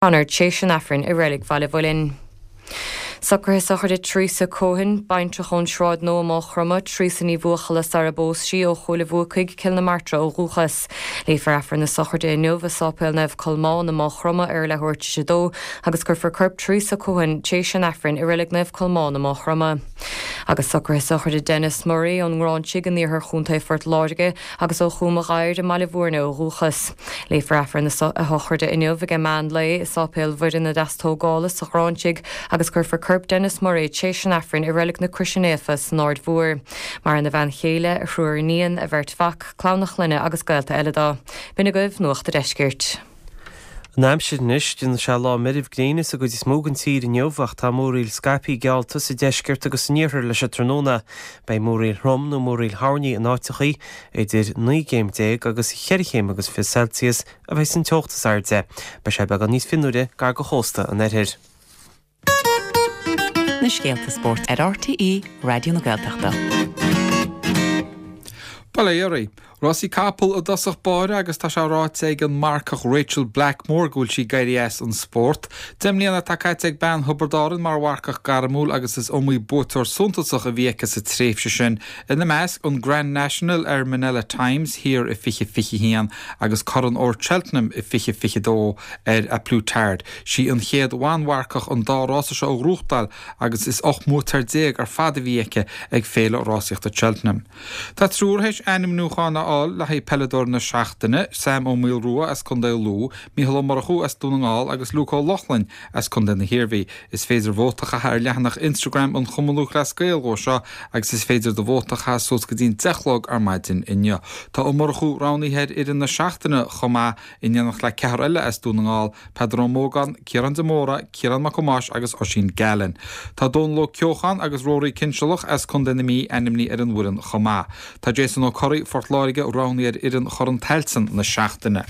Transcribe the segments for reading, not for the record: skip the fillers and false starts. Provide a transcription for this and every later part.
O'Connor tréis an Aifrinn i Reilig Bhaile Mhuilinn. Socruithe sochraide Teresa Cohen, baintreach ón Sráid Nua, Maigh Chromtha, Teresa Ní Bhuachalla sara bpós sí, ó Chúil a' Bhuacaigh, Cill na Martra ó dhúchas. Léifear Aifreann na sochraide inniu i Sáipéal Naomh Colmán i Maigh Chromtha ar leathuair tar éis a dó agus cuirfear corp Teresa Cohen tréis an Aifrinn i Reilig Naomh Colmán i Maigh Chromtha. Agus socruithe sochraide Denis Murray ón nGráinsigh in iarthar Chontae Phort Láirge agus ó Chúm a' Ghadhair i mBaile Bhúirne ó dhúchas. Léifear Aifreann a sochraide inniu ag meán lae i Sáipéal Mhuire na Deastógála sa Ghráinsigh agus cuirfear corp Denis Murray tréis an Aifrinn i Reilig na Croise Naofa san Aird Mhór. Maireann a bhean chéile, a thriúr iníon, a bheirt mhac, clann a chlainne agus gaolta eile dó. B'in agaibh Nuacht a' Deiscirt. An aimsir anois, déanfaidh sé lá meirbh gréine sa gcuid is mó den tír inniu ach tá múraíl scaipthe geallta sa deisceart agus san iarthar leis an tráthnóna. Beidh múraíl throm nó múraíl thoirní in áiteachaí. Idir 19 gcéim agus cheithre chéim agus 20 Celsius a bheidh an teocht is airde. Beidh sé beagán níos fionnuaire gar do chósta an oirthir. Na scéalta spóirt ar RTÉ Raidió na Gaeltachta. Bail ó Dhia oraibh. Rásaí capall i dtosach báire agus tá sé ráite ag an marcach Rachael Blackmore go bhfuil sí ag éirí as an spórt. 10 mbliana atá caite ag bean Thiobraid Árann mar mharcach gairmiúil agus is iomaí buaiteoir suntasach a bhí aici sa tréimhse sin, ina measc, an Grand National ar Minella Times thiar i 2021 agus Corn Óir Cheltenham i 2022 ar A Plus Tard. Sí an chéad bhan-mharcach an dá rása seo a ghnóthachtáil agus is 18 mbuaiteoir ar fad a bhí aici ag Féile Rásaíochta Cheltenham. Tá triúr théis ainmniúchán a fháil le haghaidh Peileadóir na Seachtaine, Sam Ó Maolrua as Contae Lú, Mícheál Ó Murchú as Dún na nGall agus Luke Ó Lochlainn as Contae na hIarmhí. Is féidir vóta a chaitheamh ar leathanach Instagram an Chumann Lúthchleas Gael dhó seo agus is féidir do vóta a chaitheamh suas go dtí'n 10 a chlog ar maidin inniu. Tá Ó Murchú roghnaithe ar fhoireann na seachtaine chomh maith in éineacht le ceathrar eile as Dún na nGall, Peadar Ó Mógáin, Ciarán de Mórdha, Ciarán Mac Thomáis agus Oisín Gallen. Tá Dónal Ó Ceocháin agus Rory Cinnsealach as Contae na Mí ainmnithe ar an bhfoireann chomh maith. Tá Jason Ó Corraigh, Phort Láirge, roghnaithe ar fhoireann Chorn Tailteann na seachtaine.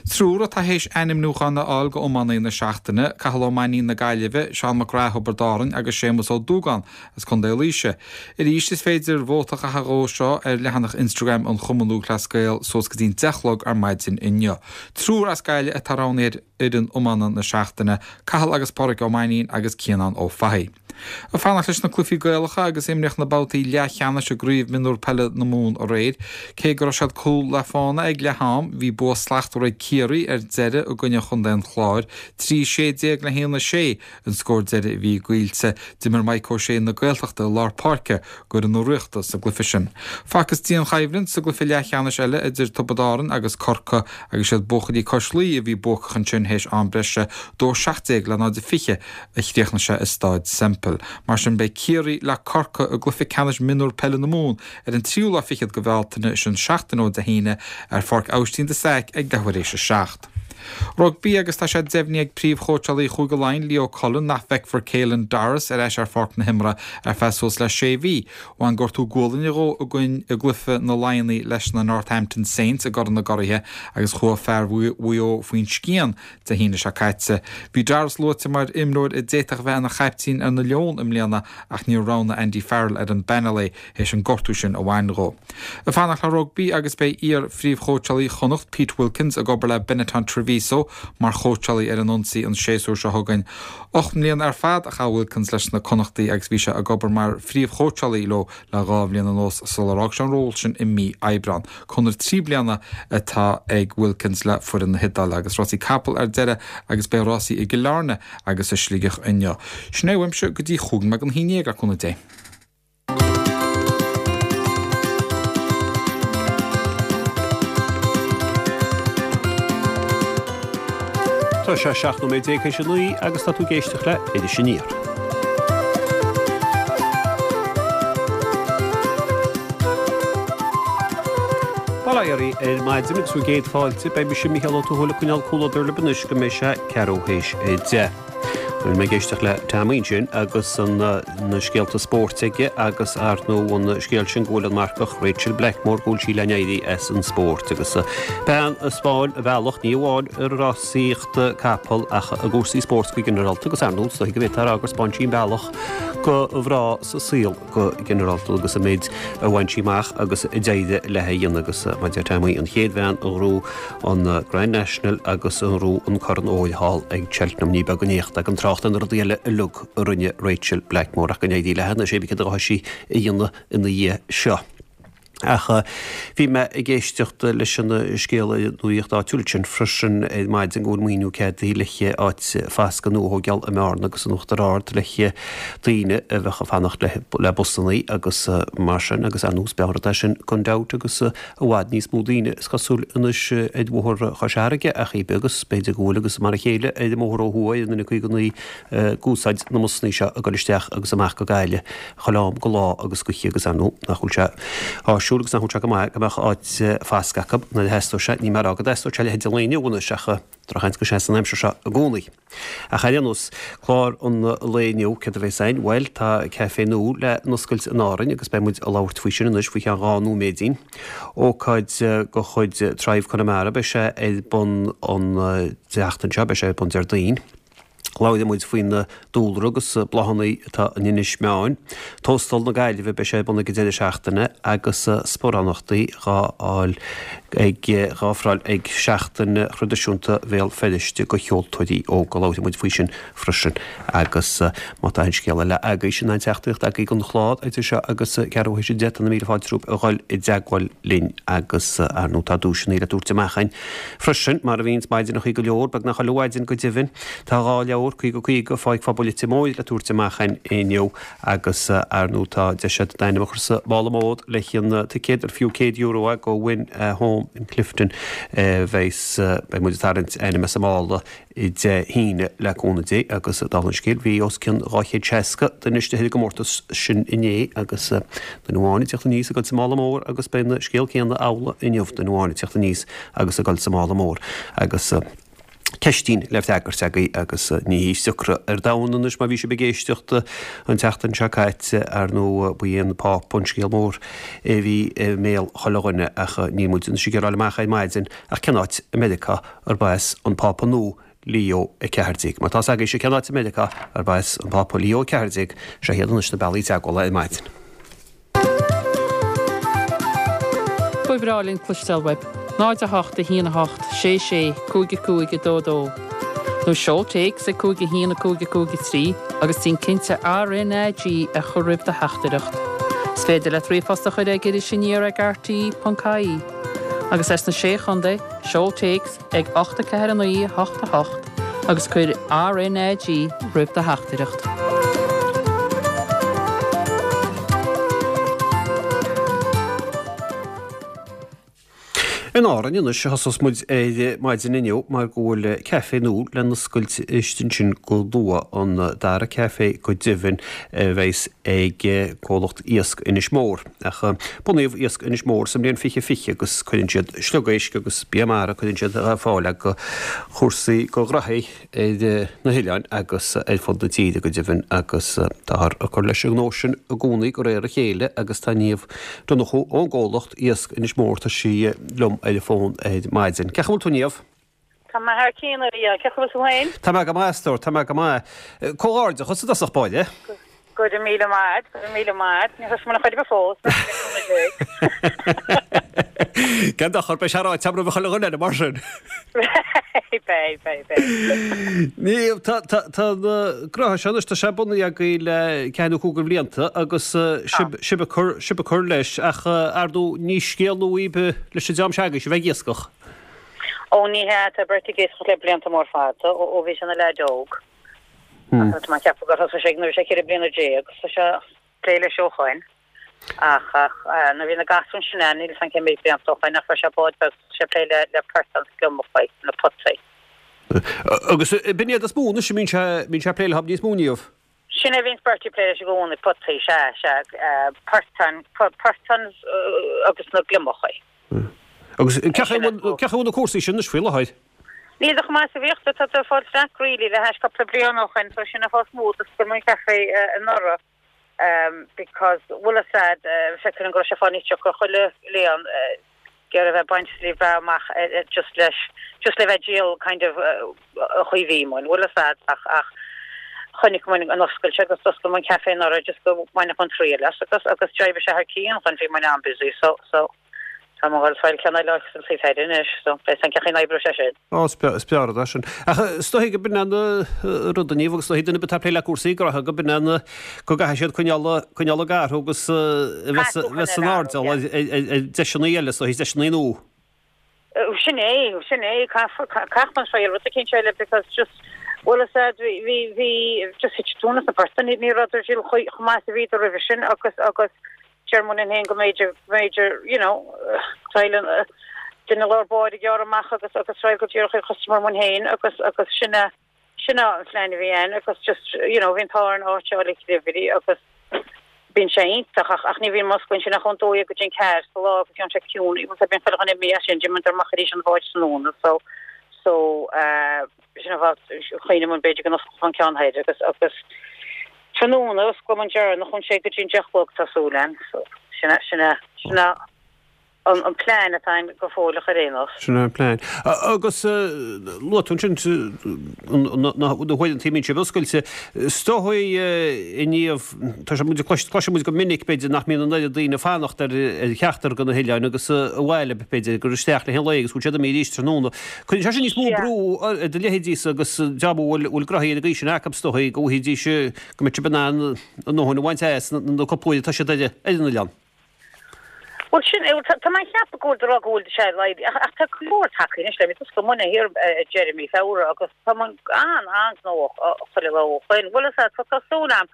Triúr atá théis ainmniúchán a fháil go Iománaí na Seachtaine, Cathal Ó Mainnín na Gaillimhe, Seán Mac Graith Thiobraid Árann agus Séamus Ó Dúgáin as Contae Laoise. Arís is féidir vóta a chaitheamh dhó seo ar leathanach Instagram an Chumann Lúthchleas Gael suas go dtí'n 10 a chlog ar maidin inniu. Triúr as Gaillimh atá roghnaithe ar fhoireann iomána na seachtaine, Cathal agus Pádraic Ó Mainnín agus Cianán Ó Fathaigh. Ag fanacht leis na cluichí Gaelacha agus imríodh na babhtaí leathcheannais i gCraobh Mionúr Peile na Mumhan aréir. Cé go raibh siad cúl le fána ag leath am, bhí bua slachtmhar ag Ciarraí ar deireadh i gcoinne Chontae an Chláir, 3 16 le 1 6. An scór deiridh a bhí goillte, d'imir Mike O'Shea na Gaeltachta i lár páirce d'fhoireann na Ríochta sa gcluiche sin. Facthas dianchoimhlint sa gcluiche leathcheannais eile idir Tiobraid Árann agus Corcaigh agus siad buachaillí cois Laoi a bhí buacach ansin théis am breise, 2-17 le 0-20 a chríochnaigh sé i Stáid Semple. Mar sin beidh Ciarraí le Corcaigh i gcluiche ceannais mionúr peile na Mumhan ar an tríú lá fichead de Bhealtaine, sin seachtain ó Dé hAoine, ar Pháirc Aibhistín de Staic ag leathuair éis a 7. Rugbaí agus tá sé deimhnithe ag príomhchóitseálaí Chúige Laighean, Leo Cullen, nach bhfeicfear Caelan Doris ar ais ar pháirc na himeartha ar feadh suas le sé mhí. Bhain gortú gualainne dhó i gcluiche na Laighneach leis na Northampton Saints i gCorn na gCuraithe agus chuaigh fear Mhaigh Eo faoin scian Dé hAoine seo caite. Bhí Doris luaite mar imreoir a d'fhéadfadh a bheith ina chaiptín ar na Leoin i mbliana ach níor roghnaigh Andy Farrell ar an bpainéal é théis an gortú sin a bhain dhó. Ag fanacht le rugbaí agus beidh iar-phríomhchóitseálaí Chonnacht, Pete Wilkins, ag obair le Benetton Treviso mar chóitseálaí ar an ionsaí an séasúr seo chugainn. 8 mbliana ar fad a chaith Wilkins leis na Connachtaigh agus bhí sé ag obair mar phríomhchóitseálaí leo le 2 bhliain anuas sular fhág sé an ról sin i mí Aibreán. Conradh 3 bliana atá ag Wilkins le foireann na hIodáile agus rásaí capall ar deireadh agus beidh rásaí i gCill Airne agus i Sligeach inniu. Sin é uaimse go dtí 11 nóiméad don haon, le cúnamh Dé. Tá sé 17 nóiméad théis a 9 agus tá tú ag éisteacht le Iris Aniar. Bail ó Dhia oraibh ar maidin agus bhur gcéad fáilte. Beidh mise Mícheál Ó Tuathail ag coinneáil comhluadar libh anois go mbeidh sé ceathrú théis a 10. Bhí mé ag éisteacht le Tommy ansin agus na scéalta spóirt aige agus ar ndóigh an scéal sin go bhfuil an marcach Rachael Blackmore go bhfuil sí le n-éirí as an spórt agus bean a 'spáin an bealach ní amháin i rásaíocht capall ach i gcúrsaí spóirt go ginearálta agus ar ndóigh is dóigh go bhféadfá a rá gur 'spáin sí an bealach. go mhná sa saol go ginearálta agus an méid a bhain sí amach agus a d'éirigh léi a dhéanamh agus mar a deir Tommy, an chéad bhean a ghnóthaigh an Grand National agus a ghnóthaigh an Corn Óir thall ag Cheltenham. Ní beag an éacht gan trácht ar na rudaí eile uilig a rinne Rachel Blackmore ach go n-éirí léi anois cibé céard a ghabhfaidh sí a dhéanamh ina dhiaidh seo. Ach bhí mé ag éisteacht leis an scéal ar an nuaíocht áitiúil ansin freisin ar maidin go bhfuil maoiniú ceadaithe le áit fasctha nua a thógáil i mBearna agus in Uachtar Ard le daoine a bheadh ag fanacht le busannaí agus mar sin agus ar nós beag rud é sin gan dabht agus i bhfad níos mó daoine is cosúil anois ar bhóthar Chois Fharraige ach ní beag agus b'fhéidir go bhfuil agus mar a chéile ar an mbóthar ó thuaidh ar an N59 ag úsáid na mbusannaí seo ag dul isteach agus amach go Gaillimh chuile am go lá agus go hoíche agus ar ndóigh nach bhfuil sé áisiúil agus nach bhfuil sé go maith go mbeadh áit fasctha acu nuair a theastódh sé. Níl mé ag rá go dteastódh sé a leithéid an lae inniu anois ach drochsheans go seasann an aimsir seo i gcónaí. Ach ar aon nós, clár an lae inniu, céard a bheas ann? Bhuel, tá caifé nua le n-oscailt in Árainn agus beidh muid ag labhairt faoi sin anois faoi cheann 2 nóiméidín. Ócáid de chuid Thrive Conamara, beidh sé ar bun an tseachtain seo, beidh sé ar bun Déardaoin. Labhróidh muid faoin dúlra agus bláthanna atá in Inis Meáin. Tóstal na Gaillimhe, beidh sé ar bun ag an deireadh seachtaine agus sparánachtaí dhá fháil ag dhá ofráil ag Seachtain Thraidisiúnta Bhéal Feirste go cheoltóirí óga. Labhróidh muid faoi sin freisin agus má tá aon scéal eile agaibh sin aon teachtaireacht agaibh don chlár idir seo agus ceathrú théis 10 tá na míle fáilte romhaibh a dhul i dteagmháil linn agus ar ndóigh tá duaiseanna le tabhairt amach againn Freisin, mar a bhíonns maidineachaí go leor, beagnach chuile mhaidin go deimhin, tá 2 leabhar, 50 50, Pháirc Phobail Leitir Móir le tabhairt amach againn inniu agus ar ndóigh tá deis agat d'ainm a chur sa mhála mór le haghaidh an ticéad ar fiú €100 é go Win a Home in Clifden a bheas, beidh muid ag tarraingt ainm as an mála Dé hAoine le cúnamh Dé agus dála an scéil bhí os cionn 260 duine istigh ar an gcomórtas sin inné agus duine amháin ag teacht aníos ag dul sa mála mór agus beidh an scéal céanna amhlaidh inniu, duine amháin ag teacht aníos agus ag dul sa mála mór agus ceistín le freagairt agaibh agus ní hí is deacra ar domhan anois má bhí sibh ag éisteacht an tseachtain seo caite ar ndóigh ba é an Pápa an scéal mór a bhí i mbéal chuile dhuine ach níl muid anois ag iarraidh a fháil amach ar maidin ach cén áit i Meiriceá arb as an Pápa nua Leo 14. Má tá 's agaibhse cén áit i Meiriceá arb as an Pápa Leo 14, seo iad anois na bealaí teagmhála ar maidin. Ba bhreá linn cloisteáil uaibh. 0 8 1 8 6 6 5 5 2 2 Nó seol téacs ag 5 1 5 5 3 agus déan cinnte RnaG a chur roimh do theachtaireacht. Is féidir leat ríomhphost a chur ag irisaniar ag rte.ie. Agus as na Sé Chontae, seol téacs ag 8 4 9 8 8 agus cuir RnaG roimh do theachtaireacht. In Árainn anois a thosós muid ar maidin inniu mar go bhfuil caifé nua le n-oscailt istigh ansin go luath, an dara caifé go deimhin a bheas ag comhlacht Iasc Inis Mór. Ach bunaíodh Iasc Inis Mór sa mbliain 2020 agus cuireann siad sliogéisc agus bia mara, cuireann siad ar fáil go chúrsaí go gnóthaí ar na hoileáin agus ar fud na tíre go deimhin agus táthar ag cur leis an ngnó sin i gcónaí de réir a chéile agus tá Niamh Donnchú ón gcomhlacht Iasc Inis Mór, tá sí liom ar an bhfón ar maidin. Cén chaoi a bhfuil tú Niamh? Tá mé thar cionn, a Mhícheáil. Cén chaoi a bhfuil tú féin? Tá mé go maith, a stór, tá mé go maith. Comhghairdeachas i dtosach báire. Go raibh míle maith agat, go raibh míle maith agat. Níor thosaigh mé ar chor ar bith fós, ach le cúnamh Dé. Gan dochar, beidh sé ráite agam roimh chuile dhuine eile mar sin. Beidh, beidh, beidh. Niamh, tá, tá, tá an gnótha seo anois, tá sé bunaithe agaibh le ceathair nó cúig de bhlianta agus sibh, sibh ag cur, sibh ag cur leis ach, ar ndóigh, ní scéal nua daoibh leis an dream seo agaibhse a bheith ag iascach. Ó ní hea, tá Bertie ag iascach le blianta mór fada, ó bhí sé ina leaid óg. Tá mé ag ceapadh gur thosaigh sé nuair a bhí sé 14 bliana, tá sé ag plé leis ó shoin. Ach nuair a bhí na gasúir ansin ann, níl 'fhios a'm cé méid blianta ó shoin, ach fuair sé bád beag, thosaigh sé ag plé le portáin is gliomachaí, na potaí. Agus b'in iad is mó anois a mbíonn sé, mbíonn sé ag plé leo níos mó, Niamh? Sin é a bhíonns Bertie ag plé leis i gcónaí, potaí, sea, sea, portáin, portáin agus na gliomachaí. Agus cén chaoi a bhfuil na cúrsaí sin anois faoi láthair? Níl chomh maith is a bhíodh, tá tú ag fáil slack really le hais cúpla bliain ó shoin, so sin an fáth is mó d'oscail muid an café anuraidh because bhfuil fhios a'd, feictear dom go raibh sé ag fáil níos deacra chuile bhliain ag iarraidh a bheith ag baint slí bheatha amach just leis, just le bheith ag díol kind of an chaoi a bhí muid, bhfuil fhios a'd ach ach. Chonaic muid an oscailt agus d'oscail muid an café anuraidh just go mbainfeadh muid triail as agus agus d'oibrigh sé thar cionn dhúinn bhí muid an-busy so so tá muid ag fáil ceann eile sa taobh thoir anois so beidh san cén chaoi a n-oibreoidh sé sin. Ó is breá is breá rud é sin. Ach is dóigh go b'in an rud a Niamh agus is dóigh duine ar bith atá ag plé le cúrsaí gnoithe go b'in an go gcaithfidh siad coinneáil coinneáil ag athrú agus a bheith bheith san airdeall ar ar deiseanna eile is dóigh deiseanna nua. Sin é, sin é, caithfidh muid triail rud eicínt eile because just, bhfuil a fhios a'd, bhí, bhí, bhí, just thit tóin as na portaigh, ní, ní rabhadar chomh, chomh maith is a bhíodar roimhe sin agus, agus deir muid linn féin go mb'fhéidir, go mb'fhéidir, you know, triail an, duine lár báire a ghearradh amach agus, agus triail go díreach ar customer muid féin agus, agus sin é. Sin é an phlean a bhí ann agus just, you know, bhí an t-ádh orainn áit a fháil ag delivery agus bíonn sé iontach ach ach ní bhíonn muid oscailte ansin ach ón dó dhéag go dtí an ceathair sa lá agus bíonn sé ciúin, bhfuil a fhios a'd bíonn chuile dhuine imithe as sin, d'imigh amach arís an bhád tráthnóna so so eh sin an fáth chuimhnigh muid b'fhéidir go n-osclódh an ceann thoir agus agus tráthnóna osclóidh muid an deireanach ón sé go dtí an deich a chlog tá súil ann so sin é sin é sin é an plean atá ann go fóilleach ar aon nós. Sin é an plean. Agus luaigh tú ansin na huaireanta a mbíonn sibh oscailte. Is dóigh a Niamh, tá sé muid cloiseann muid go minic b'fhéidir nach mbíonn an oiread daoine ag fanacht ar cheachtar de na hoileáin agus abhaile b'fhéidir gur isteach le haghaidh an lae agus go bhfuil siad imithe arís tráthnóna. Cuireann sé sin níos mó brú ar do leithéidísa agus dream a bhfuil gnoithí ar an gcaoi sin acu is dóigh go bhfaighidís go mbeadh sibh in ann a ndóthain a bhaint as na cúpla uair atá siad ar an oileán. Bhuel sin é, tá mé ag ceapadh go bhfuil do rá go bhfuil sé laghdaithe ach ach tá go leor tagtha anois le mí d'oscail muidne thiar ag deireadh mí Feabhra agus tá muid an an-ghnóthach chuile lá ó shoin. Bhuel is ea tá tá súil a'm.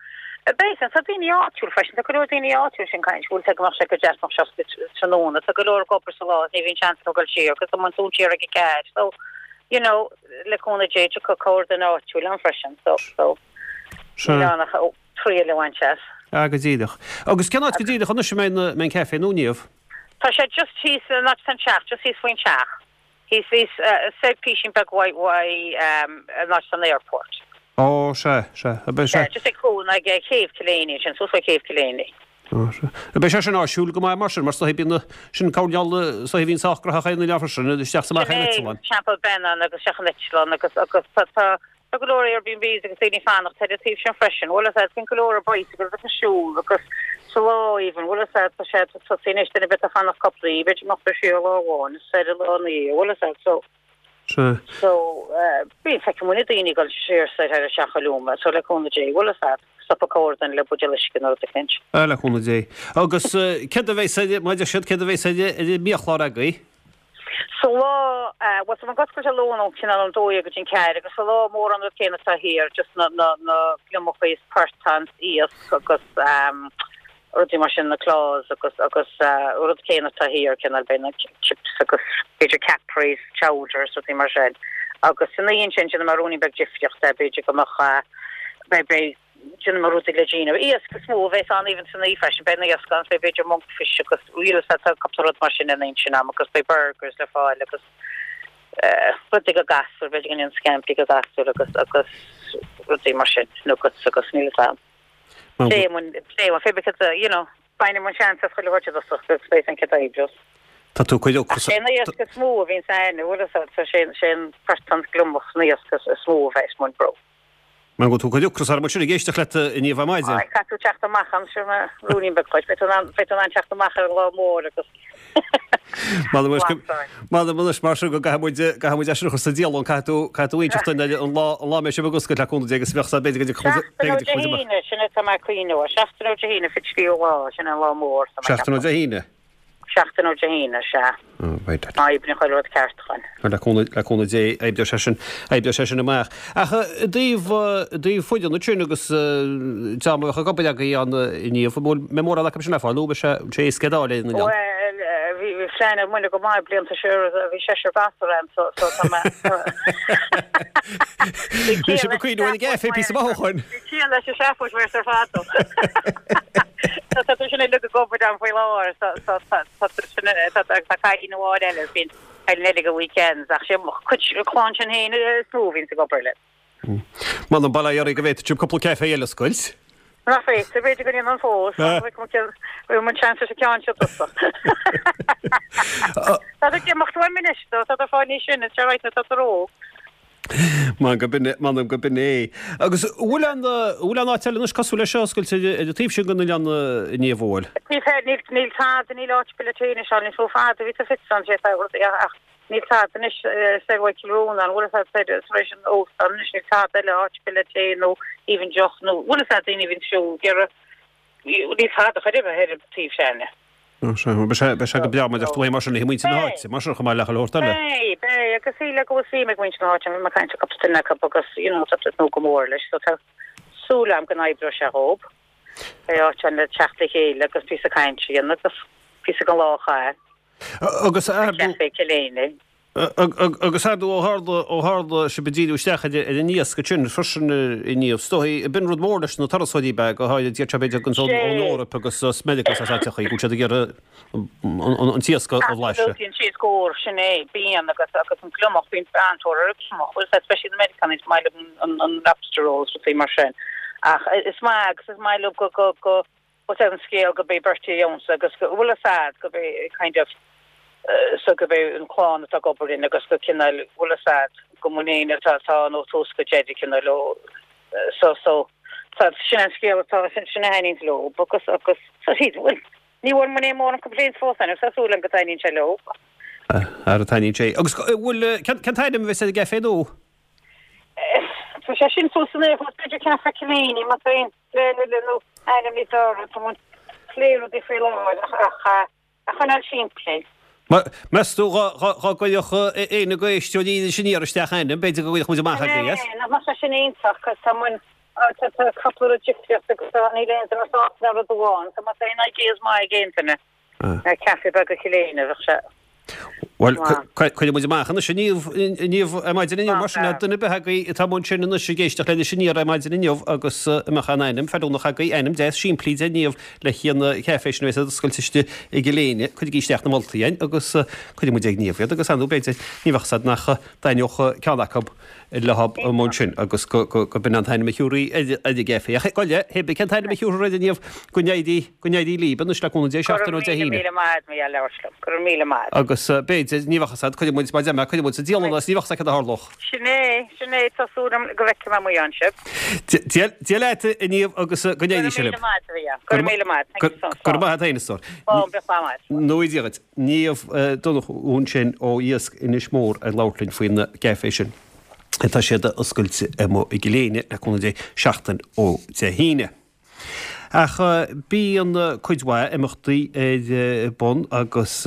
Beidh tá daoine áitiúil freisin, tá go leor daoine áitiúil sin caint bhfuil go mbeadh sé go deas mbeadh sé oscailte tráthnóna, tá go leor ag obair sa lá is ní bhíonn seans acu dul siar agus tá muid dúnta siar ag a ceathair so you know le cúnamh Dé tiocfaidh corr duine áitiúil ann freisin so so níl ann ach triail a bhaint as. Ah, go díreach. Agus cén áit go díreach anois a mbeidh an caife nua, Niamh? Tá sé just thíos, an áit atá an teach, just thíos faoin teach. Thíos, thíos, soir písín beag uaidh, uaidh, an áit atá an airport. Ó, sea, sea. Ab é sé. Just ag cúl, ag céibh Killeany ansin, suas faoi chéibh Killeany. Ó, sea. Ab é sé sin áisiúil go maith mar sin, mar is dóigh bíonn na, sin cineál, is dóigh a bhíonn sách gnóthach ar an oileán freisin, isteach is amach ar an eitleán. Sin é, Teampall Bheannáin agus isteach an eitleán agus, agus tá, tá, Tá go leor Airbnbs agus daoine ag fanacht ar an taobh sin freisin. Bhfuil a fhios a'd, bíonn go leor ar bicycles agus ag siúl agus sa lá even, bhfuil a fhios a'd, tá sé ag tosaí anois, duine ar bith atá ag fanacht cúpla oíche, b'fhéidir go mbeadh siar lá amháin is ar an lá ina dhiaidh, bhfuil a fhios a'd, so, Sea. so, eh, bíonn, feiceann muidne daoine ag dul siar soir thar an Teach Oiliúna, so le cúnamh Dé, bhfuil a fhios a'd, stopfaidh corrdhuine le buidéal uisce nó rud eicínt. Ah, le cúnamh Dé. Agus eh, céard a bheas ar, mar a deir siad, céard a bheas ar, ar an mbiachlár agaibh? Sa lá, bhuel tá muid ag oscailt ar Luan ón cineál ón dó dhéag go dtí an ceathair agus sa lá mórán an rud céanna atá thiar, just na, na, na gliomachaí is portáin is iasc agus rudaí mar sin, na claws agus, agus rud céanna atá thiar, cineál beidh na chips agus b'fhéidir capris, chowders, rudaí mar sin. Agus san oíche ansin déanfaidh mé ruainnín beag difríochta, b'fhéidir go mbeadh, beidh, beidh, Déanfaidh mé rudaí le Gino. Iasc is mó a bheas ann even san oíche freisin. Beidh an iasc ann, beidh b'fhéidir monkfish agus bhfuil a fhios a'd tá cúpla rud mar sin an oíche sin a'm agus beidh burgers le fáil agus rudaí do gasúir, b'fhéidir go ndéanfaidh scampi do ghasúir agus agus rudaí mar sin, nuggets agus níl fhios a'm. Pléifidh muid, pléifidh muid, because you know, bainfidh muid seans as chuile shórt i dtosach agus beidh an chéad oibriú. Tá tú ag cur ocras. Sé an iasc is mó a bhíonn ann, bhfuil a fhios a'd, so sé an portán gliomach an iasc is mó a bheas muid brú. Mar go bhfuil tú ag cur ocras orm ansin ag éisteacht leat a Niamh ar maidin. Aye, caithfidh tú teacht amach ann, sure mar ruainnín beag dhuit. Beidh tú in ann, beidh tú in ann teacht amach ar an lá mór agus M'anam anois go, m'anam anois mar sin go gcaithfidh muid, caithfidh muid é sin a chur sa dialann, caithfidh tú, caithfidh tú inseacht dúinn ar an lá, an lá a mbeidh sibh ag oscailt le cúnamh Dé agus bheadh b'fhéidir go dtiocfadh muid, Seachtain ó b'fhéidir go Dé dtiocfadh muid amach. hAoine, sin é tá mé ag cuimhneamh air. Seachtain ó Dé hAoine, fiche tríú lá, sin é an lá mór, tá mé ag Seachtain ó ceapadh. Dé hAoine? Seachtain ó Dé hAoine, sea. Má oibríonn chuile rud ceart dhúinn. Le cúnamh Dé, oibreoidh sé sin, oibreoidh sé sin amach. Ach i dtaobh, i dtaobh foireann ansin agus dream a bheadh ag obair agaibh ann a Niamh, an bhfuil, mbeidh mórán acu sin le fáil nó beidh sé, sé éasca iad a fháil ar an oileán? Bhuel, bhí, bhí plean ag muidne go maith blianta siar, bhí seisear gasúr ann so, so tá mé, Bhí sibh ag cuimhneamh ar an gcaife píosa maith ó shoin. Bhí ciall leis an seafóid ar fad. Tá tá sin uilig ag obair ann faoi láthair so so tá tá sin tá tá cailín amháin eile bíonn cailín eile go weekends ach sé mo chuid clann sin féin is mó a bhíonns ag obair linn. M'anam bail ó Dhia oraibh go bhféadfadh sibh cúpla caife eile a oscailt. Nach féidir, b'fhéidir go ndéanfainn fós, bhfuil muid seans leis an ceann seo tusa. Tá tú ag imeacht uaim anois, tá tú ag fáil níos sine, it's alright, tá tú óg. M'anam go b'in é. Agus an bhfuil aon, an bhfuil aon áit eile anois cosúil leis seo oscailte ar an taobh sin den oileán a Niamh, an bhfuil? Taobh thoir, níl, níl tada, níl áit ar bith le tae anois ann níos mó fada, bhí sa Fitz ann sé ach níl tada anois soir uaidh Cill Rónáin, an bhfuil a fhios a'd tar éis an óstán anois níl tada eile áit ar bith le tae nó even deoch nó bhfuil a fhios a'd daoine a bhíonn ag siúl ag iarraidh níl tada chor ar bith ar an taobh s'againne. Sea, beidh sé go breá mar deir tú mar sin le muintir na háite, mar sin chomh maith le chuile shórt eile. Beidh, beidh, agus sílim go bhfuil suim ag muintir na háite, bhí mé ag caint le cúpla duine acu agus you know tá siad ag tnúth go mór leis so tá súil agam go n-oibreoidh sé dhób. Beidh áit ann le teacht le chéile agus píosa cainte a dhéanamh agus píosa den lá a chaitheamh. Agus ar Café Chill Éinne. Agus ar ndóigh, ó tharla, ó tharla sibh ag díriú isteach ar an iasc ansin freisin a Niamh, is dóigh, b'in rud mór leis na turasóirí ab ea, go háirid iad seo b'fhéidir a thaganns ón Eoraip agus as Meiriceá agus as áiteachaí, go bhfuil siad ag iarraidh an t-iasc a bhlaiseadh. Absolutely, an t-iasc úr, sin é, bíonn agus agus an gliomach, bíonn an-tóir ar an gliomach, bhfuil a fhios a'd, especially na Meiriceánaigh, is maith leo an lobster rolls, rudaí mar sin. Ach is maith agus is maith leo go, go, go, Bhuel tá an scéal go bé Bertie ann agus go bhfuil a fhios a'd go bé kind of so go bé an clann atá ag obair linn agus go cineál bhfuil a fhios a'd go muinín atá atá ann ó tús go deireadh cineál ó so so tá sin an scéal atá sin sin a thaitníonns leo agus agus so siad bhuel ní bhfuair muid aon mórán complaints fós ann agus tá súil agam go dtaitníonn sé leo. Ara taitníonn sé. Agus bhfuil cén cén t-ainm a bheas ar an gcaifé nua? Tá sé sin fós san aer fós b'fhéidir Café Cill Éinne má tá aon Le le nó ainm níos fearr tá muid ag plé rudaí faoi láthair ach a choinneáil simplí. Meas tú dá gcuirfeadh éinne de éisteoirí Iris Aniar isteach ainm, b'fhéidir go gcuirfeadh muid amach agaibh é. Nach mbeadh sé sin iontach cos tá muid tá cúpla rud difríocht agus tá níl aon duine sásta le rud amháin so má tá aon ideas maith ag aon duine. Caife beag Chill Éinne, bheadh sé. Bhuel, cuirfidh muid amach anois a Niamh ar maidin inniu, mar sin, duine ar bith agaibh atá amuigh ansin anois ag éisteacht le Iris Aniar ar maidin inniu agus a mbeadh aon ainm feiliúnach agaibh, ainm deas simplí do Niamh le haghaidh an chaifé sin a bheas ag oscailt istigh i gCill Éinne, cuirigí isteach na moltaí againn agus cuirfidh muid ag Niamh iad agus ar ndóigh b'fhéidir, ní bheadh a fhios a'd nach dtaitneodh ceann acu leo amuigh ansin agus go b'in an t-ainm a thiúrfaí ar an gcaifé. Ach gabh i leith, hé bith cén t-ainm a thiúrfar air a Niamh, go n-éirí, go n-éirí líb anois le cúnamh Dé seachtain ó Dé hAoine. Go raibh míle míle maith a'd mar gheall labhairt liom. Go raibh míle maith a'd. Agus b'fhéidir, ní bheadh a fhios a'd, cuirfidh muid, mar a deir mé, cuirfidh muid sa dialann é is ní bheadh a fhios a'd cad a tharlódh. Sin é, sin é, tá súil a'm go bhfeicfidh mé amuigh ann sibh. Dia leat a Niamh agus go n-éirí sé libh. Go raibh míle maith a'd a Mhícheáil. Go raibh míle maith a'd. Thank you so much. Go raibh maith a'd féin a stór. Slán, bíodh slán a'd. Nó Dia dhuit. Niamh Donnchú ansin ó Iasc Inis Mór ag labhairt linn faoin gcaifé sin atá siad a oscailt amuigh i gCill Éinne le cúnamh Dé seachtain ó Dé hAoine. Ach bíonn cuid mhaith imeachtaí ar bun agus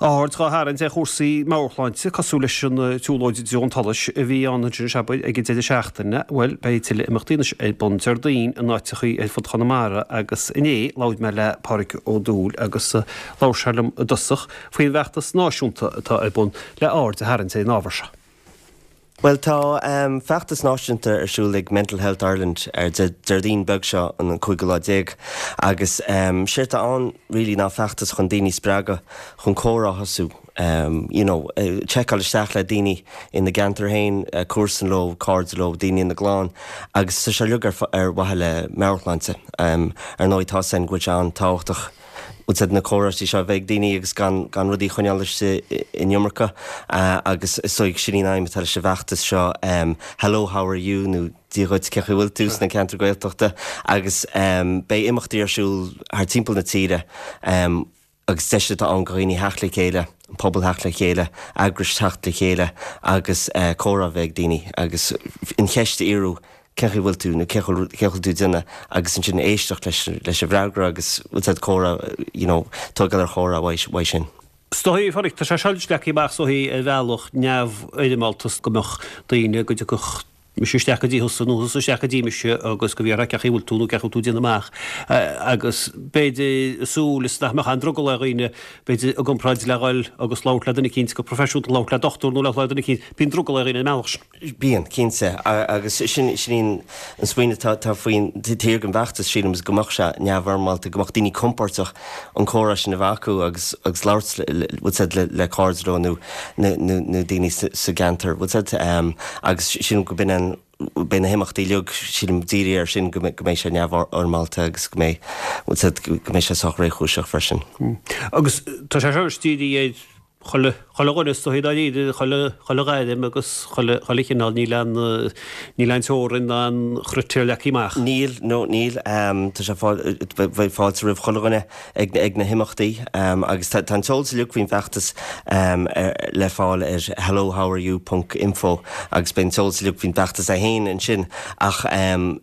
aird dhá tharraingt ar chúrsaí meabhairshláinte, cosúil leis an tsiúlóid i dtreo an tsolais a bhí ann ansin is abair ag an deireadh seachtaine. Bhuel, beidh tuilleadh imeachtaí anois ar bun Déardaoin in áiteachaí ar fud Chonamara agus inné labhair mé le Pádraig Ó Dúill agus labhair sé liom i dtosach faoin bhfeachtas náisiúnta atá ar bun le aird a tharraingt ar an ábhar seo. Bhuel, tá feachtas náisiúnta ar siúl ag Mental Health Ireland ar Déardaoin beag seo, an cúigiú lá déag, agus séard atá ann really ná feachtas chun daoine a spreagadh chun comhrá a thosú, you know, seiceáil isteach le daoine ina gceantar féin, comharsan leo, cairde leo, daoine ina gclann, agus tá sé uilig ar mhaithe le meabhairshláinte. Ar ndóigh, tá a fhios againn go bhfuil sé an-tábhachtach. bhfuil a fhios a'd na comhráití seo a bheith ag daoine agus gan gan rudaí a choinneáil istigh an iomarca agus is dóigh sin í an aidhm atá leis an bhfeachtas seo Hello how are you nó Dia dhuit cén chaoi a bhfuil tú sna ceantair Gaeltachta agus beidh imeachtaí ar siúl thar timpeall na tíre agus deis atá ann do dhaoine theacht le chéile, an pobal theacht le chéile, eagrais theacht le chéile agus comhrá a bheith ag daoine agus an cheist a fhiafraí cén chaoi a bhfuil tú nó cén chaoi a bhfuil tú ag déanamh agus ansin éisteacht leis leis an bhfreagra agus bhfuil a fhios a'd comhrá you know tógáil ar chomhrá uaidh sin. Is dóigh, a Phádraig, tá sé seo leagtha amach is dóigh ar bhealach neamhfhoirmeálta go mbeadh daoine go dtiocfadh mise isteach go dtí thusa nó thusa isteach go dtí mise agus go bhfiafrófá cén chaoi a bhfuil tú nó cén chaoi a bhfuil tú ag déanamh amach agus b'fhéidir súil is nach mbeadh aon drogall ar dhaoine b'fhéidir i gcomparáid le dhul agus labhairt le duine eicínt go proifisiúnta labhairt le dochtúir nó le duine eicínt bíonn drogall ar dhaoine ar an mbealach sin. Bíonn, cinnte. Agus sin í an smaoineamh atá faoin taobh thiar den bhfeachtas, sílim, is go mbeadh sé neamhfhoirmeálta, go mbeadh daoine compordach an comhrá sin a bheith acu agus agus labhairt bhfuil a fhios a'd le cairde leo nó nó daoine sa gceantar, bhfuil a fhios a'd. Agus sílim go b'in an, beidh na himeachtaí uilig, sílim, dírithe air sin, go mbeidh sé neamhfhoirmeálta agus go mbeidh, bhfuil a fhios a'd, go mbeidh sé sách réchúiseach freisin. Agus tá sé seo dírithe ar. Chuile, chuile dhuine is dóichí dáiríre, chuile, chuile ghairm agus chuile, chuile chineál, níl aon, níl aon teorainn ná aon chritéar leagtha amach. Níl, no, níl. Tá sé fáil, beidh fáilte roimh chuile dhuine ag, ag na himeachtaí agus tá, tá an t-eolas uilig faoin bhfeachtas le fáil ar hellohowareyou ponc info agus beidh an t-eolas uilig faoin bhfeachtas é féin ansin ach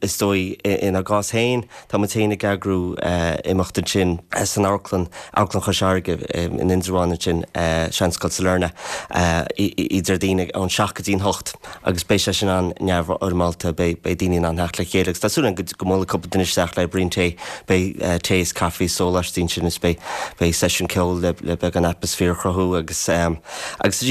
is dóigh inár gcás féin, Tá muid féin ag eagrú imeacht ansin san amharclann, Amharclann Chois Fharraige in Indreabhán ansin, Seanscoil Sailearna, oíche Déardaoin ón seacht go dtí'n hocht agus beidh sé sin an-neamhfhoirmeálta, beidh daoine in ann theacht le chéile agus tá súil againn go mbuailfidh cúpla duine isteach le braon tae, beidh tae is caife is sóláistí ansin is beidh seisiún ceoil le beagán atmaisféar a chruthú agus agus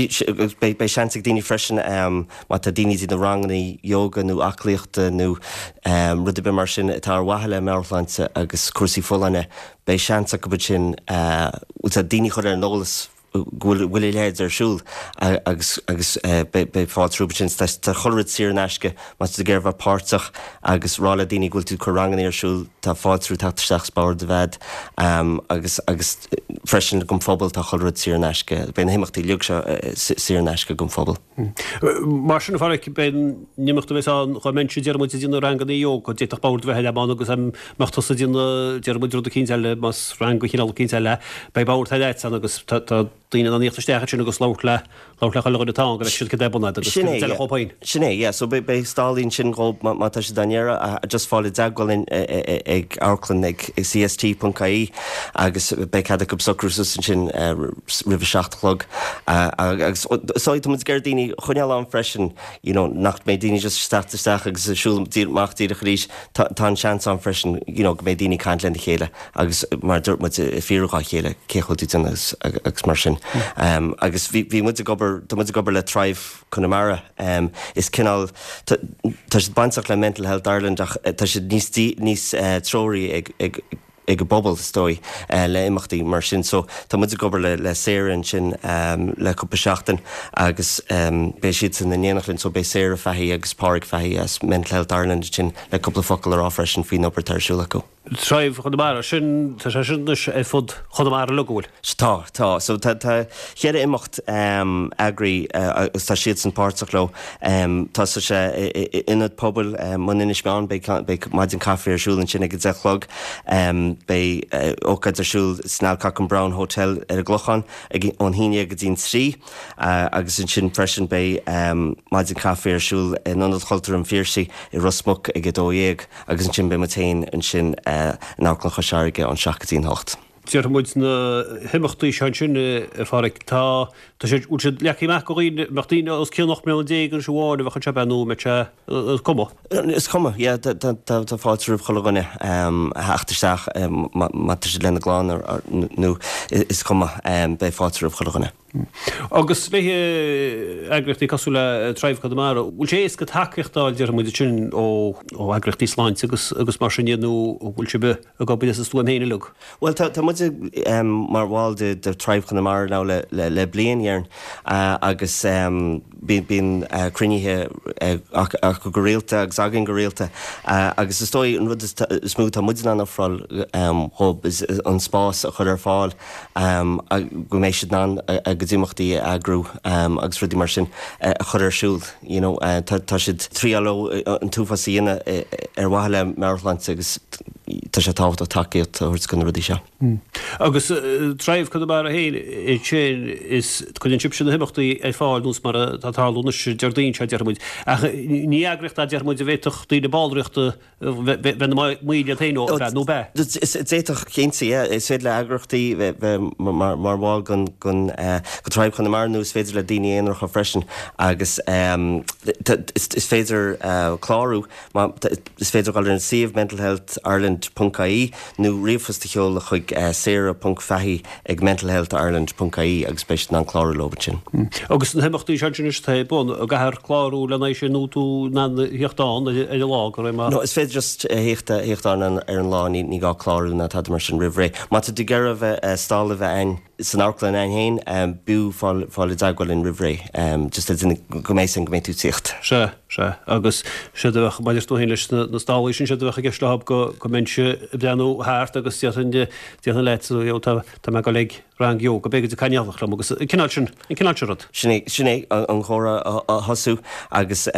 beidh seans ag daoine freisin Má tá daoine ag déanamh ranganna yoga nó aclaíochta nó rud ar bith mar sin atá ar mhaithe le meabhairshláinte agus cúrsaí folláine, beidh seans acu ansin bhfuil a fhios agat daoine a chur ar an eolas go bhfuil a leithéid ar siúl agus agus beidh fáilte rompu ansin. Tá chuile rud saor in aisce má tá tú ag iarraidh bheith páirteach agus rá le daoine go bhfuil tú ag cur ranganna ar siúl, tá fáilte rompu teacht isteach is bord a bheith agat agus agus freisin don phobal tá chuile rud saor in aisce. Beidh na himeachtaí uilig seo saor in aisce don phobal. Mar sin, a Pháraic, beidh an imeacht a bheas ann, dhá mbeinnse, déarfaidh muid, ag déanamh ranganna ióga, d'fhéadfadh bord a bheith agam ann agus dá mbeadh tusa ag déanamh, déarfaidh muid, rud eicínt eile, más rang de chineál eicínt eile, beidh bord thar leat ann agus tá daoine in ann a thíocht isteach ansin agus labhairt le, labhairt le chuile dhuine atá ann go bhfeicfidh siad cad é bun agat agus Sin cad é, é yeah. chomh féin. Sin é, yeah. So beidh, beidh stallaí ansin dhóibh má, má tá siad á n-iarraidh, just fáil i dteagmháil linn ag amharclann ag cst.ie agus beidh cead acu socrú suas ansin roimh a 7 a chlog. Agus so tá muid ag iarraidh daoine a choinneáil ann freisin, you know, nach mbeidh daoine just ag teacht isteach agus ag siúl amach díreach arís. Tá tá an seans ann freisin, you know, go mbeidh daoine ag caint lena chéile agus mar a dúirt muid, ag fiafraí dhá chéile cén chaoi a bhfuil tú ag déanamh agus agus mar sin. Agus bhí bhí muid ag obair, tá muid ag obair le Thrive Conamara. Is cineál, tá tá siad bainteach le Mental Health Ireland ach tá siad níos níos treoraí ag ag ag an bpobal, is dóigh, le imeachtaí mar sin. So, tá muid ag obair le le Sarah ansin le cúpla seachtain agus beidh siadsan in éineacht linn. So, beidh Sarah Fahy agus Pádraig Fahy as Mental Health Ireland ansin le cúpla focal a rá freisin faoin obair atá ar siúl acu. Thrive Chonamara, sin, tá sé sin anois ar fud Chonamara uilig, an bhfuil? Tá, tá. So, tá tá cheithre imeacht eagraithe agus tá siadsan páirteach leo. Tá sé i Ionad Pobail Bhun Inis Meáin, beidh maidin caife ar siúl ansin ag a 10 a chlog. Beidh ócáid ar siúl san Alcock and Brown Hotel ar an gClochán ag ón 11 go dtí'n 3 agus ansin freisin beidh maidin caife ar siúl in Ionad Chultúir an Phiarsaigh i Ros Muc ag 12 agus ansin beidh muid féin ansin in Amharclann Chois Fharraige ón 7 go dtí'n 8. Déarfaidh muid na himeachtaí seo ansin, a Pháraic, tá, tá siad, bhfuil siad leagtha amach do dhaoine, mbeadh daoine os cionn 18 mbliana anois amháin a bheadh anseo, ab ea, nó an mbeadh sé, is cuma? Is cuma, yeah, tá, tá, tá, tá fáilte roimh chuile dhuine a theacht isteach má, má tá siad lena gclann nó is cuma, beidh fáilte roimh chuile dhuine. Agus le heagraíochtaí cosúil le Thrive Conamara, bhfuil sé éasca tacaíocht a fháil, déarfaidh muid ansin, ó, ó eagraíochtaí sláinte agus, agus mar sin de nó an bhfuil sibh ag obair as an stuaim féin uilig? Bhuel, tá, tá muid mar bhall de, de Thrive Conamara now le, le, le bliain, déarfainn, agus bíonn, bíonn cruinnithe acu go rialta agus againn go rialta agus is dóigh an rud is, is mó atá muid in ann ofráil dhóibh is an spás a chur ar fáil go mbeidh siad in ann a gcuid imeachtaí a eagrú agus rudaí mar sin a chur ar siúl, you know. Tá, tá siad ag triáil leo an t-uafás a dhéanamh ar mhaithe le meabhairshláinte agus tá sé tábhachtach tacaíocht a thabhairt do na rudaí seo. Agus Thrive Conamara féin ansin, is cuireann sibhse na himeachtaí ar fáil nós mar atá ag tarlú anois Déardaoin seo, déarfaidh muid. Ach ní eagraíocht é, déarfaidh muid, a bhféadfadh daoine ballraíocht a bheith ina mbaill iad féin ó, ab ea, nó ab ea? D'fhéadfadh, cinnte, yeah. Is féidir le eagraíochtaí bheith mar bhall den Thrive Conamara nó is féidir le daoine aonaracha freisin agus is féidir clárú. Is féidir dul ar an suíomh mentalhealthireland ponc ie nó ríomhphost a sheoladh chuig sarah ponc fahy ag mentalhealthireland ponc ie agus beidh siad in ann clárú leo ansin. Agus na himeachtaí seo ansin anois atá ar bun, an gcaithfear clárú lena aghaidh sin nó tú in ann a thíocht ann ar an lá go raibh maith. No, is féidir just a thíocht a thíocht ann ar an lá, ní ní gá clárú ná tada mar sin roimh ré. Má tá tú ag iarraidh a bheith stall a bheith a'inn san amharclann a'inn féin, b'fhiú fáil fáil i dteagmháil linn roimh ré, just le déanamh go mbeidh a fhios a'inn go mbeidh tú ag tíocht. Sea, sea. Agus séard a bheadh, maidir tú féin leis na na stallaí sin, séard a bheadh i gceist leo go go mbeinnse ag breathnú thart agus déarfainn déarfainn leat, you know, tá tá mé ag dul ag. Rang ióga, beidh ag cainneálach liom agus an cineál sin, an cineál sin rud. Sin é, sin é an chomhrá a thosú agus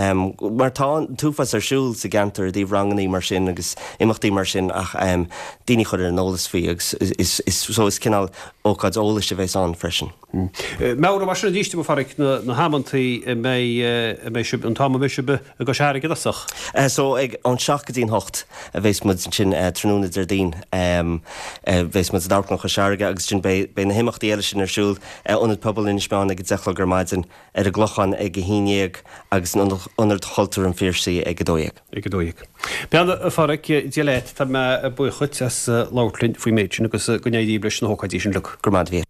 mar tá an t-uafás ar siúl sa gceantar i dtaobh rangannaí mar sin agus imeachtaí mar sin ach daoine a chur ar an eolas faoi agus is, is, so is cineál ócáid eolais a bheas ann freisin. Meabhraigh mar sin arís dom, a Pháraic, na, na hamantaí a mbeidh, a mbeidh sibh, an t-am a mbeidh sibh i gCois Fharraige i dtosach. So ag ón 7 go dtí an 8 a bheas muid ansin tráthnóna Déardaoin. Bheas muid in Amharclann Chois Fharraige agus ansin beidh beidh na himeachtaí eile sin ar siúl i Ionad Pobail Inis Meáin ag a 10 a chlog ar maidin, ar an gClochán ag a 11 agus in Ionad Chultúir an Phiarsaigh ag 12. Ag 12. Bean a Pháraic, Dia leat, tá mé buíoch dhuit as labhairt linn faoin méid sin agus go n-éirí leis na hócáidí sin uilig. Go raibh maith agat.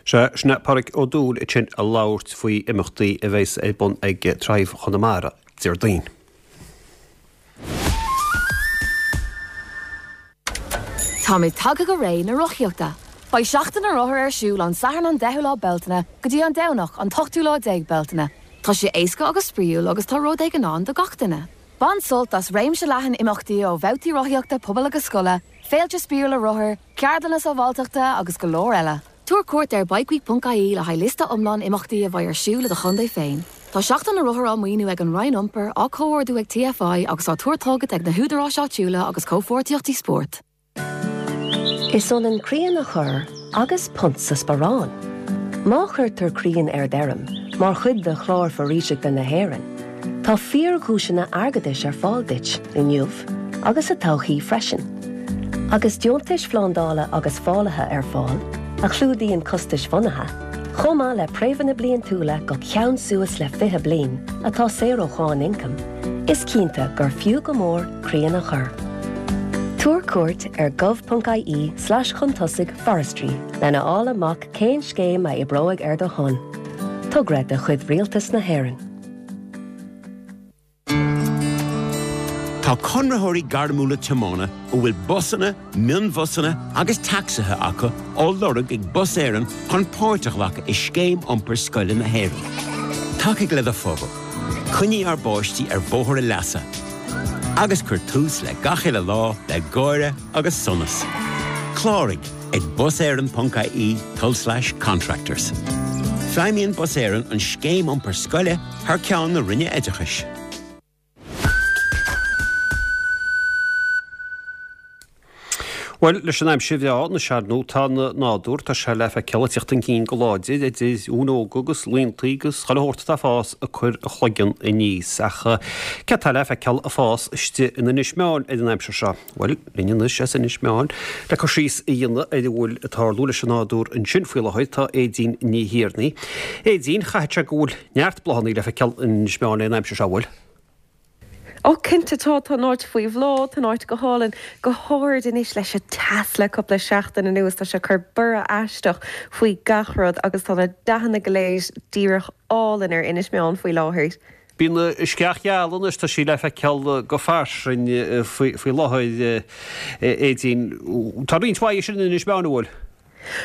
Sea, sin é Páraic Ó Dúill ansin ag labhairt faoi imeachtaí a bheas ar bun ag Thrive Chonamara Déardaoin. Táimid tagtha go ré na rothaíochta. Beidh Seachtain na Rothar ar siúl ón Satharn an 10ú lá Bealtaine go dtí an Domhnach an t-ochtú lá déag Bealtaine. Tá sé éasca agus spraíúil agus tá rud éigin ann do gach duine. Bain sult as réimse leathan imeachtaí ó bhabhtaí rothaíochta pobail agus scoile, féilte spraíúla rothar, ceardlanna sábháilteachta agus go leor eile. Tabhair cuairt ar bikeweek.ie le haghaidh liosta iomlán imeachtaí a bheidh ar siúl i do chontae féin. Tá Seachtain na Rothar á maoiniú ag an Roinn Iompair, á comhordú ag TFI agus á tabhairt chugat ag na húdaráis áitiúla agus comhpháirtíochtaí spóirt. Is ionann crainn a chur agus punt sa sparán. Má chuirtear crainn ar d'fheirm mar chuid de Chlár Foraoiseachta na hÉireann, tá fíordhuaiseanna airgeadais ar fáil duit inniu agus sa todhchaí freisin. Agus deontais phlandála agus fálaithe ar fáil, a chlúdaíonn costais bhunaithe, chomh maith le préimheanna bliantúla go ceann suas le 20 bliain atá saor ó cháin ioncaim, is cinnte gur fiú go mór crainn a chur. Tabhair cuairt ar gov.ie slash chun tosaigh forestry lena fháil amach cén scéim a oibreoidh ar do shon. Togra de chuid Rialtas na hÉireann. Tá conraitheoirí gairmiúla tiomána a bhfuil busanna, mionbhusanna agus tacsaithe acu á lorg ag Bus Éireann chun páirt a ghlacadh i Scéim Iompair Scoile na hÉireann. Tacaigh le do phobal, coinnigh ár bpáistí ar bhóthar a leasa, agus cuir tús le gach uile lá le gáire agus sonas. Cláraigh ag buséireann.ie tulslais contractors. Feidhmíonn Bus Éireann an Scéim Iompair Scoile thar ceann na Roinne Oideachais. Bhuel, leis an aimsir bhreá anois ar ndóigh, tá an nádúr, tá sé le feiceáil ag teacht chun cinn go láidir, idir fhuinneoga agus laontaí agus chuile shórt atá ag fás ag cur a chloigeann aníos. Ach céard atá le feiceáil ag fás istigh in Inis Meáin ar an aimsir seo? Bhuel, linn anois as Inis Meáin le cur síos a dhéanamh ar a bhfuil ag tarlú leis an nádúr ansin faoi láthair tá Aedín Ní Thiarnaigh. Aedín, chaithfeadh sé go bhfuil neart bláthanna le feiceáil in Inis Meáin an aimsir seo, an bhfuil? Ó cinnte tá, tá an áit faoi bhláth, tá an áit go hálainn, go háirid anois leis an teas le cúpla seachtain anuas, tá sé ag cur borradh aisteach faoi gach rud agus tá na dathanna go léir díreach álainn ar Inis Meáin faoi láthair. Bíonn an sceach gheal anois, tá sí le feiceáil go fairsing faoi láthair, Aedín. Tá roinnt mhaith sin in Inis Meáin, an bhfuil?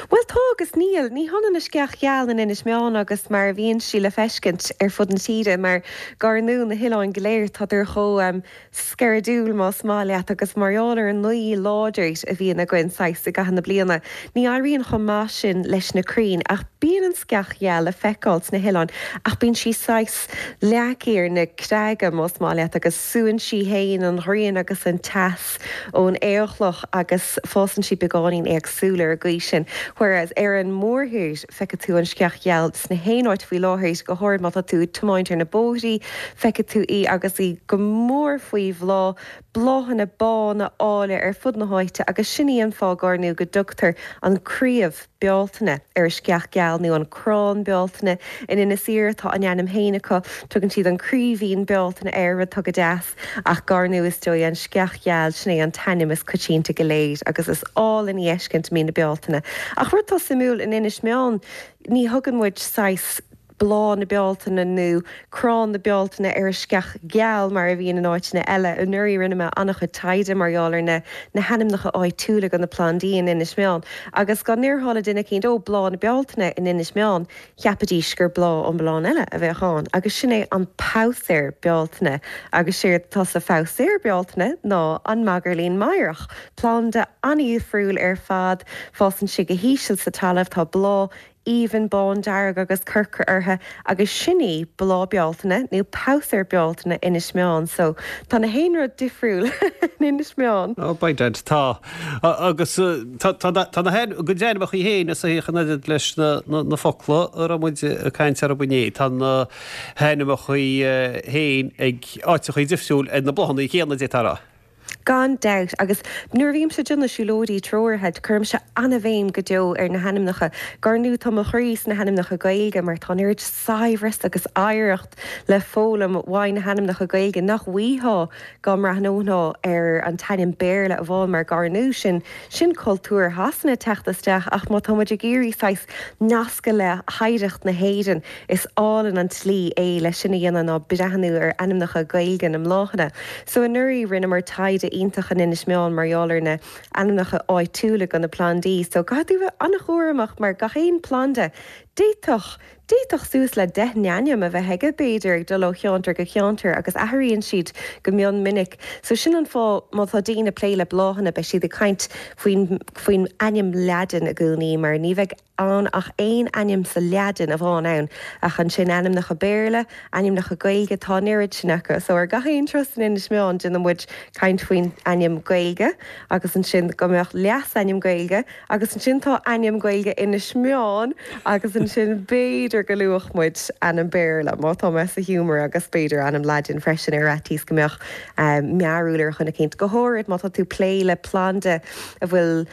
Bhuel, tá agus níl. Ní hionann an sceach gheal in Inis Meáin agus mar a bhíonn sí le feiscint ar fud na tíre, mar gar ndóigh na hoileáin go léir, tádar chomh sceirdiúil, más maith leat, agus mar gheall ar an ngaoth láidir a bhíonn againn saghas i gcaitheamh na bliana, ní éiríonn chomh maith sin leis na crainn. Ach bíonn an sceach gheal le feiceáil sna hoileáin ach bíonn sí saghas leagtha ar na creaga, más maith leat, agus súann sí féin an ghrian agus an teas ón aolchloch agus fásann sí beagáinín éagsúil ar an gcaoi sin. Whereas ar an mórthír, feicfidh tú an sceach gheal sna haon áit faoi láthair, go háirid má tá tú ag tiomáint ar na bóithrí, feicfidh tú í agus í go mór faoi bhláth, bláthanna bána áille ar fud na háite agus sin í an fáth gar ndóigh go dtugtar an craobh Bealtaine ar an sceach gheal nó an crann Bealtaine. In Inis Oírr tá a n-ainm féin acu, tugann siad an craoibhín Bealtaine air, rud atá go deas. Ach gar ndóigh is dóigh an sceach gheal, sin é an t-ainm is coitianta go léir agus is álainn í a fheiscint i mí na Bealtaine. Ach rud atá suimiúil, in Inis Meáin ní thugann muid saghas. bláth na Bealtaine nó crann na Bealtaine ar an sceach gheal mar a bhíonn in áiteanna eile. Anuraidh rinne mé an-chuid taighde mar gheall ar na na hainmneacha áitiúla do na plandaí in Inis Meáin agus dá ndéarfá le duine eicínt 'Ó, bláth na Bealtaine in Inis Meáin', cheapfaidís gur bláth iomlán eile a bheadh ann agus sin é an pabhsaer Bealtaine agus séard atá sa phabhsaer Bealtaine ná an magairlín meidhreach, planda an-dhifriúil ar fad, fásann sé go híseal sa talamh, tá bláth aoibhinn bándearg agus corcra orthu agus sin í bláth Bealtaine nó pabhsaer Bealtaine Inis Meáin so tá na haon rud difriúil in Inis Meáin. Oh by dad tá. Agus tá tá na a gcuid ainmneacha féin is a in oiread leis na na focla a raibh muid ag caint orthu inné. Tá na hainmneacha féin ag áiteachaí difriúil ar na bláthanna céanna d'fhéadfá a rá. Gan dabht, agus nuair a bhímse ag déanamh siúlóidí treoraithe, cuirimse an-bhéim go deo ar na hainmneacha. Gar ndóigh tá mo chroí sna hainmneacha Gaeilge mar tá an oiread saibhreas agus oidhreacht le foghlaim uaidh na hainmneacha Gaeilge nach bhfaightheá dá mbreathnófá ar an t-ainm Béarla amháin mar gar ndóigh sin sin cultúr Shasana ag teacht isteach ach má tá muid ag iarraidh saghas nascadh le hoidhreacht na hÉireann Is álainn an tslí é le sin a dhéanamh ná breathnú ar ainmneacha Gaeilge na mbláthanna. So anuraidh rinneamar taighde iontach in Inis Meáin mar gheall ar na ainmneacha áitiúla do na plandaí. So caithfidh tú bheith an-chúramach mar gach aon planda, d'fhéadfadh, d'fhéadfadh suas le 10 n-ainm a bheith aige b'fhéidir ag dul ó cheantar go ceantar agus athraíonn siad go mion minic. So sin an fáth má tá daoine ag plé le bláthanna beidh siad ag caint faoin, faoin ainm Laidin i gcónaí mar ní bheidh ann ach aon ainm sa Laidin amháin ann, ach ansin ainmneacha Béarla, ainmneacha Gaeilge, tá an oiread sin acu. So ar gach aon turas in Inis Meáin déanann muid caint faoin ainm Gaeilge agus ansin go mbeadh leasainm Gaeilge agus ansin tá ainm Gaeilge Inis Meáin agus ansin b'fhéidir go luafadh muid ainm Béarla má tá mé sa ghiúmar agus b'fhéidir ainm Laidin freisin ar fhaitíos go mbeadh mearúil ar dhuine eicínt, go háirid má tá tú plé le planda a bhfuil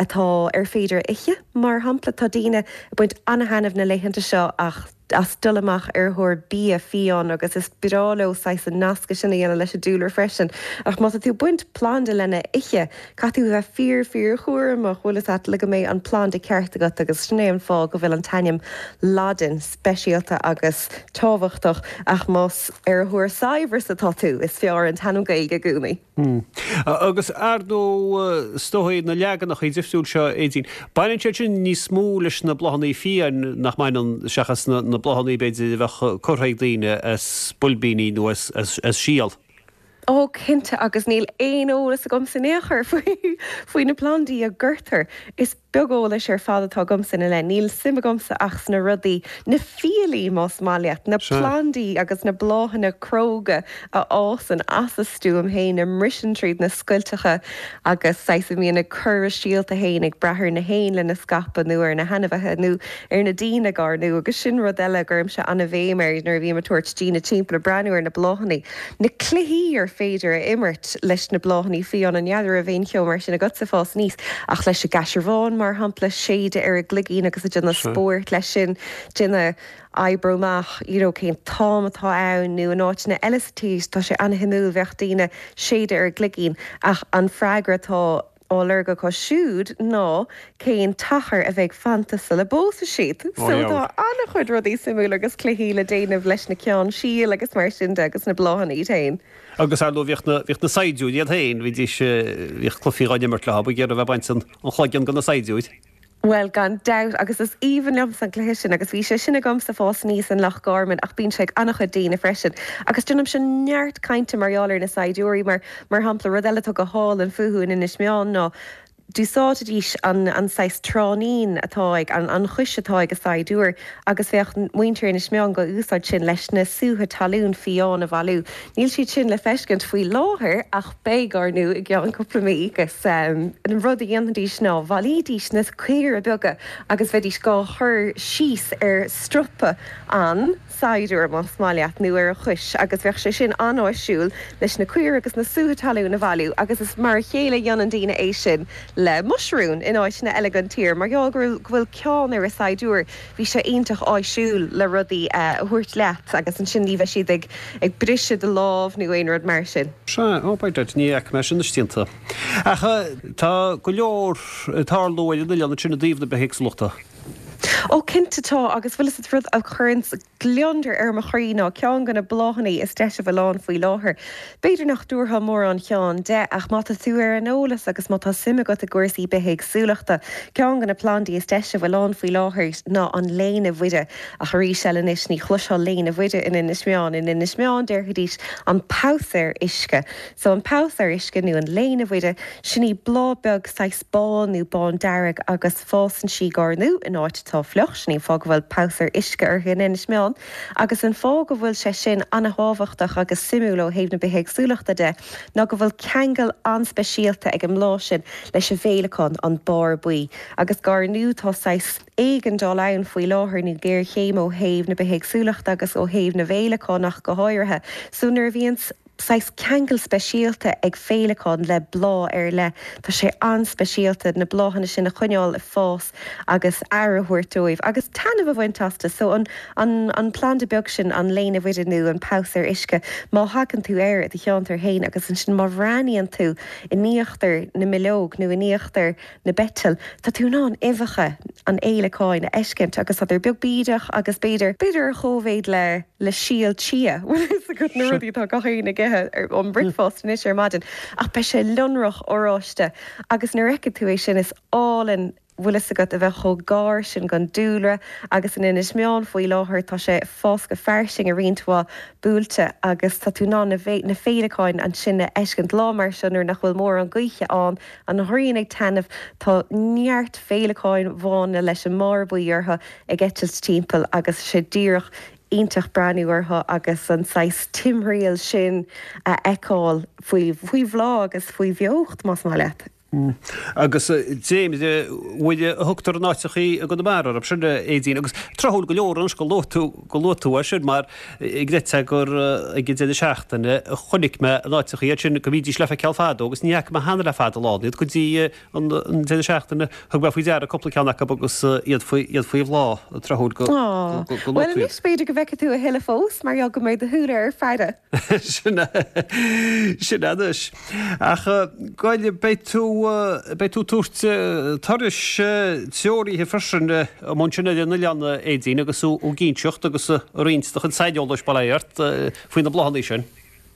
atá ar féidir a ithe. Mar shampla, tá daoine ag baint an-thaitneamh na laethanta seo ach as dul amach ar thóir bia fiáin agus is breá leo saghas an nascadh sin a dhéanamh leis an dúlra freisin. Ach má tá tú ag baint planda lena ithe, caithfidh tú a bheith fíor fíor chúramach, bhfuil fhios a't, le go mbeidh an planda ceart agat agus sin é an fáth go bhfuil an t-ainm Laidin speisialta agus tábhachtach ach más ar thóir saibhreas atá tú, is fearr an t-ainm Gaeilge i gcónaí. Agus ar ndóigh, is dóigh, na leaganacha difriúil seo, Aedín, baineann siad sin níos mó leis na bláthanna fiáin, nach mbaineann, seachas na bláthanna, b'fhéidir, a bheadh curtha ag daoine as boilbíní nó as síol. Ó, cinnte, agus níl aon eolas agamsa in aon chor faoi na plandaí a gcuirtear. Is beag eolais ar fad atá agamsa ina leith. Níl suim agamsa ach sna rudaí, na fiailí más maith leat, na plandaí agus na bláthanna cróga a fhásann as a stuaim féin, a mbriseann tríd na scoilteacha agus saghas a mbíonn ag cur a síolta féin ag brath ar na héin lena scaipeadh nó ar na hainmhithe nó ar na daoine gar ndóigh agus sin rud eile a gcuirimse an-bhéim air nuair a bhím ag tabhairt daoine timpeall ag breathnú ar na bláthanna. Na cluichí ar féidir a imirt leis na bláthanna fiáine, n'fheadar raibh aon cheo mar sin agatsa ag fás aníos, ach leis an gcaisearbhán, mar shampla, séideadh ar an gcloigín agus ag déanamh spóirt leis sin, déanamh oibriú amach you know cén t-am atá ann nó in áiteanna eile sa tír tá sé an-shuimiúil, bheadh daoine séideadh ar an gcloigín ach an freagra atá á lorg acu siúd ná cén t-achar a bheidh fanta sula bpósfaidh siad. So tá an-chuid rudaí suimiúla agus cluichí le déanamh leis na ceann síl agus mar sin de agus na bláthanna iad féin. Agus ar ndóigh bhíodh na, bhíodh na saighdiúirí iad féin, bhídís, bhíodh cluichí dhá n-imirt leo, ag iarraidh a bheith ag baint an chloigeann de na saighdiúir. Bhuel, gan dabht, agus is aoibhinn liomsa an cluiche sin, agus bhí sé sin agamsa ag fás aníos in Loch Garman, ach bíonn sé ag an-chuid daoine freisin. Agus déanaimse neart cainte mar gheall ar na saighdiúirí, mar, mar shampla, rud eile atá go hálainn fúthu in Inis Meáin ná, d'úsáidfidís an, an saghas tráithnín atá ag, an, an chois atá ag an saighdiúir, agus bheadh muintir Inis Meáin dhá úsáid sin leis na sútha talún fiáin a bhailiú. Níl siad sin le feiscint faoi láthair ach beidh, ar ndóigh, i gceann cúpla mí agus an rud a dhéanfaidís ná bhailídís na caora beaga agus bheidís dhá chur síos ar stropa an tsaighdiúir, más maith leat, nó ar a chois agus bheadh sé sin an-áisiúil leis na caora agus na sútha talún a bhailiú agus is mar a chéile a dhéanann daoine é sin le muisiriún in áiteanna eile den tír mar gheall go bhfuil ceann ar an saighdiúir. Bhí sé iontach áisiúil le rudaí a thabhairt leat agus ansin ní bheidh siad ag ag briseadh do lámh nó aon rud mar sin. Sea, ó by dad, ní fhaca mé sin istoíche. Ach tá go leor ag tarlú ar an oileán ansin i dtaobh na bithéagsúlachta. Ó cinnte tá, agus bhfuil fhios agat rud a chuireanns gliondar ar mo chroí ná ceann de na bláthanna is deise a bhfuil ann faoi láthair. B'fhéidir nach dtabharfá mórán ceann de, ach má tá tú ar an eolas agus má tá suim agat i gcúrsaí bithéagsúlachta, ceann de na plandaí is deise a bhfuil ann faoi láthair ná an léine Mhuire. Ach arís eile anois, ní chloisfeá léine Mhuire in Inis Meáin. In Inis Meáin déarfaidís an pabhsaer uisce. So an pabhsaer uisce nó an léine Mhuire, sin í bláth beag saghas bán nó bándearg agus fásann sí gar nó in áit atá fliuch, sin í an fáth go bhfuil pabhsaer uisce uirthi in Inis Meáin. Agus an fáth go bhfuil sé sin an-thábhachtach agus suimiúil ó thaobh na bithéagsúlachta de ná go bhfuil ceangal an-speisialta ag an mbláth sin leis an bhféileacán, an barr buí. Agus gar nó tá saghas éigeandáil ann faoi láthair nó géarchéim ó thaobh na bithéagsúlachta agus ó thaobh na bhféileacán ach go háirithe. So nuair a bhíonns. saghas ceangal speisialta ag féileacán le bláth ar leith. Tá sé an-speisialta na bláthanna sin a choinneáil ag fás agus aire a thabhairt dóibh agus taitneamh a bhaint astu. So an an an planda beag sin, an léine Mhuire nó an pabhsaer uisce, má thagann tú air i do cheantar féin agus ansin má bhreathnaíonn tú in íochtar na mbileog nó in íochtar na bpeiteal, tá tú in ann uibheacha an fhéileacáin a fheiscint agus tá siad beag bídeach agus b'fhéidir, b'fhéidir ar chóimhéid le, le síol chia, bhfuil fhios agat na rudaí atá gach éinne ag ithe ar an bricfeasta anois ar maidin, ach beidh sé lonrach oráiste agus nuair a fheiceann tú é sin is álainn, bhfuil fhios agat, a bheith chomh gar sin don dúlra agus in Inis Meáin faoi láthair tá sé ag fás go fairsing i roinnt mhaith buailte agus tá tú in ann na féileacáin ansin a fheiscint lá mar seo nuair nach bhfuil mórán gaoithe ann. An ghrian ag taitneamh, tá neart féileacáin bhána leis an mbarr buí orthu ag eitilt timpeall agus tá sé díreach iontach breathnú orthu agus an saghas timthriall sin a fheiceáil faoi faoi bhláth agus faoi bheocht, más maith leat. Agus dréimire Mhuire a thugtar in áiteachaí i gConamara orthu sin, a Aedín, agus tráthúil go leor anois go luaigh tú, go luaigh tú é sin mar chreidfeá gur ag an deireadh seachtaine a chonaic mé in áiteachaí iad sin go mbídís le feiceáil fadó agus ní fhaca mé cheana le fada an lá iad go dtí an deireadh seachtaine. Thug mé faoi deara cúpla ceann acu agus iad faoi iad faoi bhláth, tráthúil go luaigh tú iad. Bhuel anois b'fhéidir go bhfeicfidh tú a thuilleadh fós mar gheall go mbeidh do shúile ar faire. Sin é, sin é anois. Ach gabh i leith, beidh tú, beidh tú ag tabhairt turais treoraithe freisin amuigh ansin ar an oileán, a Aedín, agus tú ag inseacht agus ag roinnt do chuid saineolais, bail ó Dhia ort, faoi na bláthanna sin.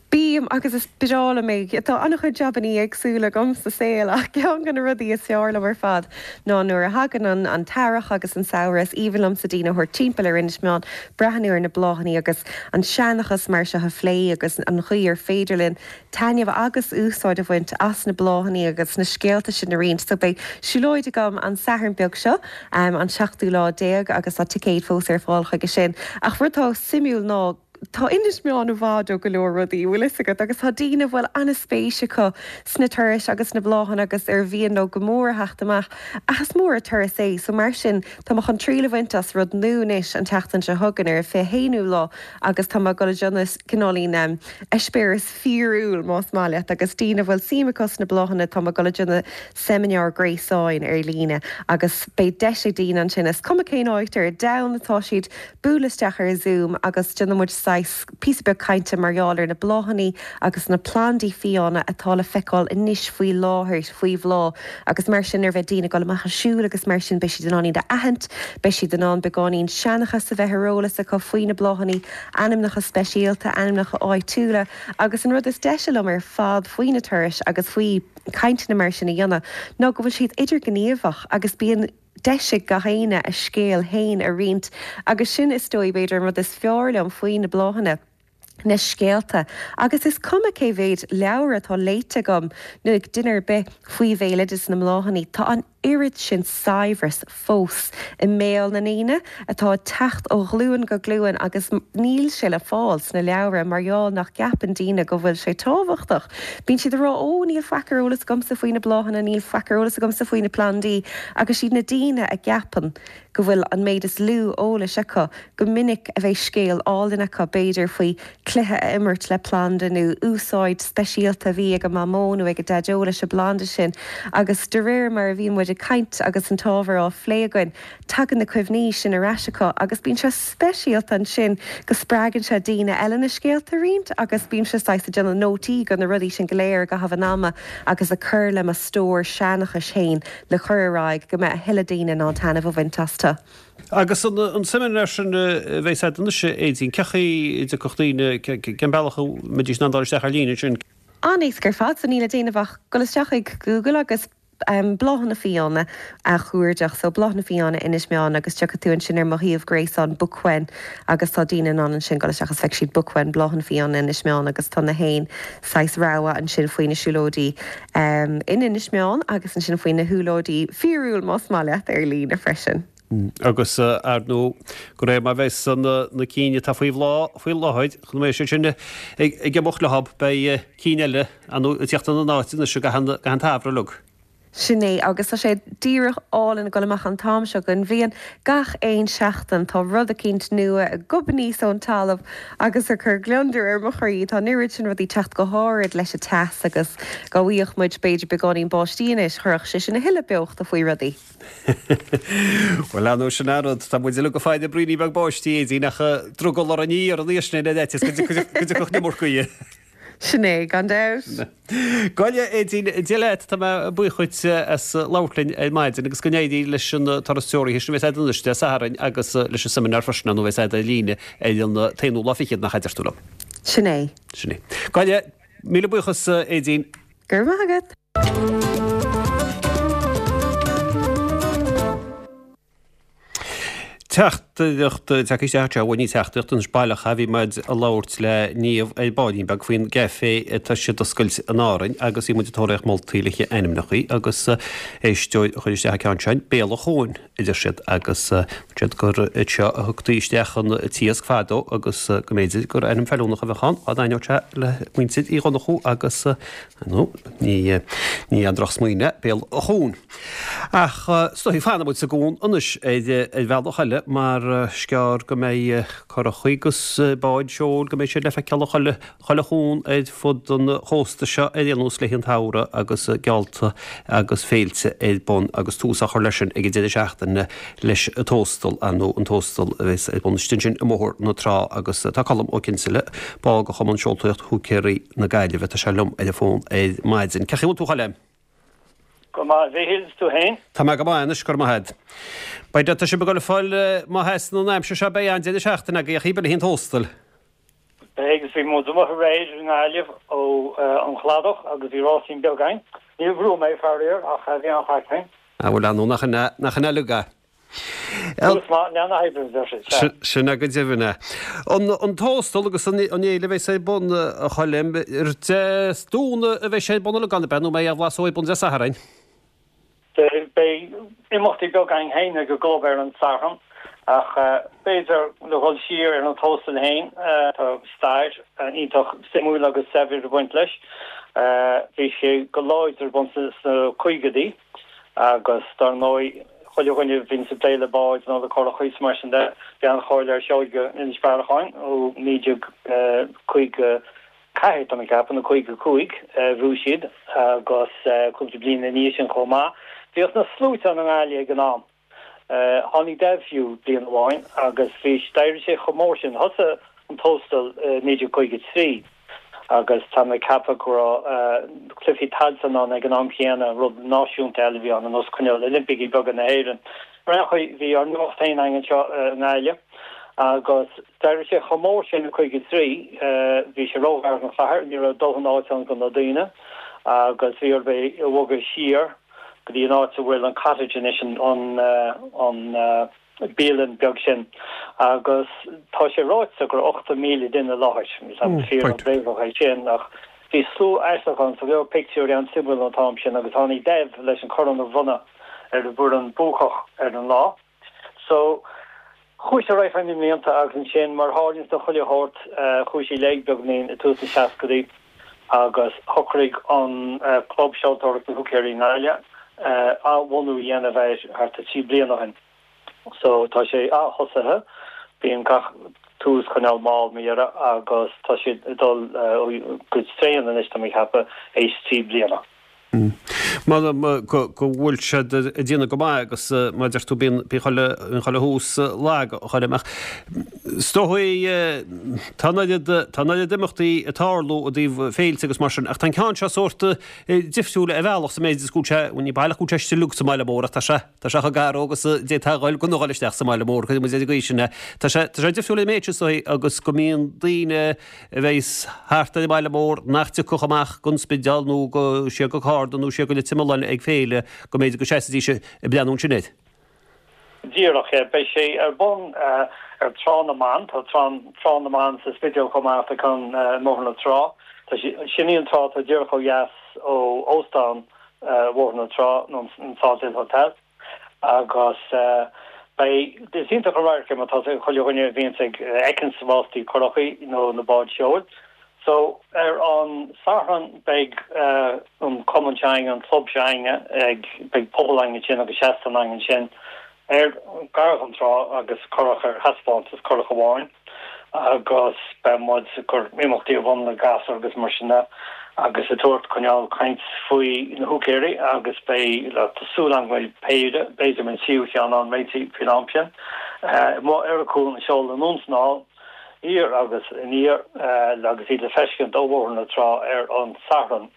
Bím, agus is breá liom é. Tá an-chuid jabannaí éagsúla agam sa saol ach ceann de na rudaí is fearr liom ar fad ná nuair a thagann an an t-earrach agus an samhradh, is aoibhinn liomsa daoine a thabhairt timpeall ar Inis Meáin, breathnú ar na bláthanna agus an seanchas mar seo a phlé agus an chaoi ar féidir linn taitneamh agus úsáid a bhaint as na bláthanna agus na scéalta sin a roinnt. So beidh siúlóid agam an Satharn beag seo, an seachtú lá déag agus tá ticéid fós ar fáil chuige sin. Ach rud atá suimiúil ná, Tá Inis Meáin i bhfad ó go leor rudaí, bhfuil fhios agat, agus tá daoine a bhfuil an-spéis acu sna turais agus sna bláthanna agus ar mhian leo go mór a theacht amach, ach is mór an turas é, so mar sin tá mé chun triail a bhaint as rud nua anois an tseachtain seo chugainn ar an 21ú lá agus tá mé ag dul a déanamh cineáilín eispéireas fíorúil más maith leat agus daoine a bhfuil suim acu sna bláthanna tá mé ag dul a déanamh seimineár gréasáin ar líne agus beidh deis ag daoine ansin, is cuma cén áit ar domhan atá siad, bualadh isteach ar Zoom agus déanfaidh muid saghas píosa beag cainte mar gheall ar na bláthanna agus na plandaí fiáine atá le feiceáil anois faoi láthair, faoi bhláth agus mar sin nuair a bheidh daoine ag dul amach ag siúl agus mar sin beidh siad in ann iad a aithint, beidh siad in ann beagáinín seanchas a bheith ar eolas acu faoi na bláthanna, ainmneacha speisialta, ainmneacha áitiúla agus an rud is deise liom ar fad faoi na turais agus faoi cainteanna mar sin a dhéanamh ná go bhfuil siad idirghníomhach agus bíonn deis ag gach éinne a scéal féin a roinnt agus sin is dóigh b'fhéidir an rud is fearr liom faoi na bláthanna, na scéalta. Agus is cuma cé mhéid leabhar atá léite agam nó ag duine ar bith faoi bhéaloideas na mbláthanna, tá an oiread sin saibhreas fós i mbéal na ndaoine atá ag teacht ó ghlúin go glúin agus níl sé le fáil sna leabhra mar gheall nach gceapann daoine go bhfuil sé tábhachtach. Bíonn siad ag rá 'Ó, níl faic ar eolas agamsa faoi na bláthanna, níl faic ar eolas agamsa faoi na plandaí' agus siad na daoine a gceapann go bhfuil an méid is lú eolais acu go minic a bheidh scéal álainn acu, b'fhéidir faoi chluiche a imirt le planda nó úsáid speisialta a bhí ag a mamó nó ag a daideo leis an bplanda sin agus de réir mar a bhíonn muid ag. ag caint agus an t-ábhar á phlé againn, tagann na cuimhní sin ar ais acu agus bíonn sé speisialta ansin go spreagann sé daoine eile na scéalta a roinnt agus bímse saghas ag déanamh nótaí de na rudaí sin go léir i gcaitheamh an ama agus ag cur le mo stór seanchais féin le cur ar aghaidh go mbeidh a thuilleadh daoine in ann taitneamh a bhaint astu. Agus an seimineár sin a bheas agat anois, a Aedín, cén chaoi a dtiocfadh daoine, cén bealach a mbeidís in ann dul isteach ar líne ansin? An-éasca ar fad, so níl le déanamh ach dul isteach ag Google agus Bláthanna Fiáine a chuardach, so Bláthanna Fiáine Inis Meáin agus tiocfaidh tú ansin ar mo shuíomh gréasáin Bookwen agus tá daoine in ann ansin dul isteach agus feicfidh siad Bookwen, Bláthanna Fiáine Inis Meáin agus tá na haon saghas rogha ansin faoi na siúlóidí in Inis Meáin agus ansin faoi na shiúlóidí fíorúil más maith leat ar líne freisin. Agus ar ndóigh, de réir mar a bheas na cinn atá faoi bhláth faoi láthair, chun mbeidh siad sin ag imeacht leo, beidh cinn eile ag tíocht ina n-áit anois i gcaitheamh an tsamhraidh uilig. Sin é, agus tá sé díreach álainn ag dul amach an t-am seo den bhliain. Gach aon seachtain tá rud eicínt nua ag gobadh aníos ón talamh agus ag cur gliondar ar mo chroí. Tá an oiread sin rudaí ag teacht go háirid leis an teas agus dá bhfaigheadh muid b'fhéidir beagáinín báistí anois, chuirfeadh sé sin a thuilleadh beochta faoi rudaí. Bhuel, ar ndóigh, sin an rud, tá muid uilig ag faire braoinín beag báistí, Aedín, ach drogall orainn í a iarraidh anois ar fhaitíos go dtiocfadh an iomarca dhi. Sin é, gan dabht. Gabh i leith, Aedín, Dia leat, tá mé buíoch dhuit as labhairt linn ar maidin agus go n-éirí leis an turas treoraithe sin a bheas agat anois Dé Sathairn agus leis an seimineár freisin, ar ndóigh, a bheas agat ar líne ar an t-aonú lá fichead nach ea a deir tú liom. Sin é. Sin é. Gabh i leith, míle buíochas, Aedín. Go raibh maith agat. Teachtaireacht tagtha isteach anseo, bhuel ní teachtaireacht anois baileach é, bhí muid ag labhairt le Niamh ar baillín beag faoin gcaifé atá siad d'oscailt in Árainn agus bhí muid ag tóraíocht moltaí le haghaidh ainmneachaí agus éisteoir a chuir isteach an ceann sin, Béal an Chuain a deir siad agus dúirt siad gur anseo a thugtaí isteach an t-iasc fadó agus go mb'fhéidir gur ainm feiliúnach a bheadh ann dá dtaitneodh sé le muintir Uí Dhonnchú agus nó ní ní aon drochsmaoineamh é Béal an Chuain. Ach is dóigh fanfaidh muid sa gcuan anois ar bhealach eile mar is gearr go mbeidh curachaí agus báid seoil go mbeidh siad le feiceáil i chuile chuile chuan ar fud an chósta seo ar aon nós le haghaidh an tsamhraidh agus geallta agus féilte ar bun agus tús á chur leis sin ag an deireadh seachtaine leis an Tóstal, ar ndóigh, an Tóstal a bheas ar bun istigh ansin i mBóthar na Trá agus tá Colm Ó Cinnseala, ball de Chumann Seoltóireacht Húicéirí na Gaillimhe, tá sé liom ar an bhfón ar maidin. Cén chaoi a bhfuil tú, a Choilm? Go maith, a Mhíchíl, is tú féin? Tá mé go maith anois, go raibh maith agat. Beidh, tá sibh ag dul ag fáil, má sheasann an aimsir seo, beidh an-deireadh seachtaine agaibh, a Choilm, le haghaidh an Tóstail. Beidh, agus bhí muid amuigh aréir i nGaillimh ó an chladach agus bhí rásaín beag againn. Níor bhuaigh mé, faraor, ach bhí an-chraic againn. Ah bhuel, ar ndóigh, nach in é, nach in é uilig é. Tús maith, leath na hoibre, a deir siad, sea. Sin é go deimhin é. An, an Tóstal agus an, an fhéile a bheas ar bun, a Choilm, ar Dé Domhnaigh a bheidh sé ar bun uilig ann, ab ea, nó an mbeidh aon bhlas ar bun Dé Sathairn? Beidh imeachtaí beaga againn féin ag an gclub ar an Satharn ach b'fhéidir le dhul siar ar an Tóstal féin, tá stair iontach suimiúil agus saibhir ag baint leis. Bhí sé go láidir ar bun sna caogaidí agus dar ndóigh chuile dhuine a bhíonns ag plé le báid nó le curachaí is mar sin de, bhí an-cháil ar Sheoige Inis Bearacháin ó 1950. 4, tá mé ag ceapadh, nó 55, bhuaigh siad agus cúpla bliain ina dhiaidh sin chomh maith. Bhíodh na sluaite ann i nGaillimh ag an am. Tháinig Daid fiú bliain amháin agus bhí, d'éirigh sé chomh mór sin. Thosaigh an Tóstal i 1953 agus tá mé ag ceapadh go raibh Cluichí Tailteann ann ag an am chéanna, rud náisiúnta eile a bhí ann, ar nós cineál Oilimpeacha beaga na hÉireann. Ar aon chaoi, bhí ár n-imeacht féin againn anseo i nGaillimh agus. D'éirigh sé chomh mór sin i 53, bhí sé róghar don chathair, ní raibh dóthain áit ann do na daoine agus bhí orthu é a bhogadh siar go dtí an áit a bhfuil an cottage anois, an bialann beag sin. Agus tá sé ráite go raibh 80,000 duine i láthair, níl 's agam fíor nó bréagach é sin ach bhí slua aisteach ann, tá go leor pictiúirí an-suimiúil ón t-am sin agus tháinig Dev leis an corn a bhronnadh ar an bhfoireann buacach ar an lá. So, chuaigh sé ar aghaidh feadh na mblianta agus ansin, mar a tharlaíonns do chuile shórt, chuaigh sé i léig beagáinín i tús na seascadaí agus shocraigh an Club Seoltóireachta Húicéirí i nGaillimh athbhunú a dhéanamh air thart ar 3 bliana ó shin. So, tá sé ath-thosaithe, bíonn gach tús cineál mall mar dhea agus tá siad ag dul go tréan anois, tá mé ag ceapadh, théis 3 bliana. M'anam go bhfuil siad ag déanamh go maith agus mar a deir tú bíonn chuile chuile thús lag a Choilm ach is dóigh tá an oiread tá an oiread imeachtaí ag tarlú i dtaobh féilte agus mar sin ach tá an ceann seo sórt difriúil ar bhealach sa méid is go bhfuil sé bhuel ní baileach go bhfuil sé istigh uilig sa mbaile mór ach tá sé tá sé chomh gar dó agus a d'fhéadfá a dhul gan a dhul isteach sa mbaile mór cuirfidh muid ar an gcaoi sin é. Tá sé tá sé difriúil ar an méid sin is dóigh agus go mbíonn daoine a bheas thart ar an mbaile mór nach dtiocfadh amach gon Spidéal nó go siar go Carna nó siar go Leitir Mealláin ag féile, go mb'fhéidir go seasfaidís ag breathnú ansin air. Díreach, beidh sé ar bun ar Trá na mBan, tá Trá Trá na mBan sa Spidéal chomh maith atá ceann i mBóthar na Trá. Tá sé, sin í an trá atá díreach ó dheas ó Óstán Bhóthar na Trá nó an Salthill Hotel. Agus beidh, is iontach an radharc é mar tá chuile dhuine a bhíonns ag fheiceanns rástaí curachaí nó na báid seoil. So ar an Satharn beidh an cumann seo againne, an club seo againne ag, beidh puball againn ansin agus seastán againn ansin ar, gar don trá agus curach ar thaispeántas, curach amháin. agus beidh muid ag cur imeachtaí ar bun le gasúir agus mar sin de agus ag tabhairt coinneáil caint faoi na húicéirí agus beidh tá súil agam go mbeidh péire, b'fhéidir an tríú cheann ann réitithe faoin am sin. Amuigh ar an chuan ag seoladh anonn is anall, thiar agus aniar agus iad le feiscint ó Bhóthar na Trá ar an Satharn.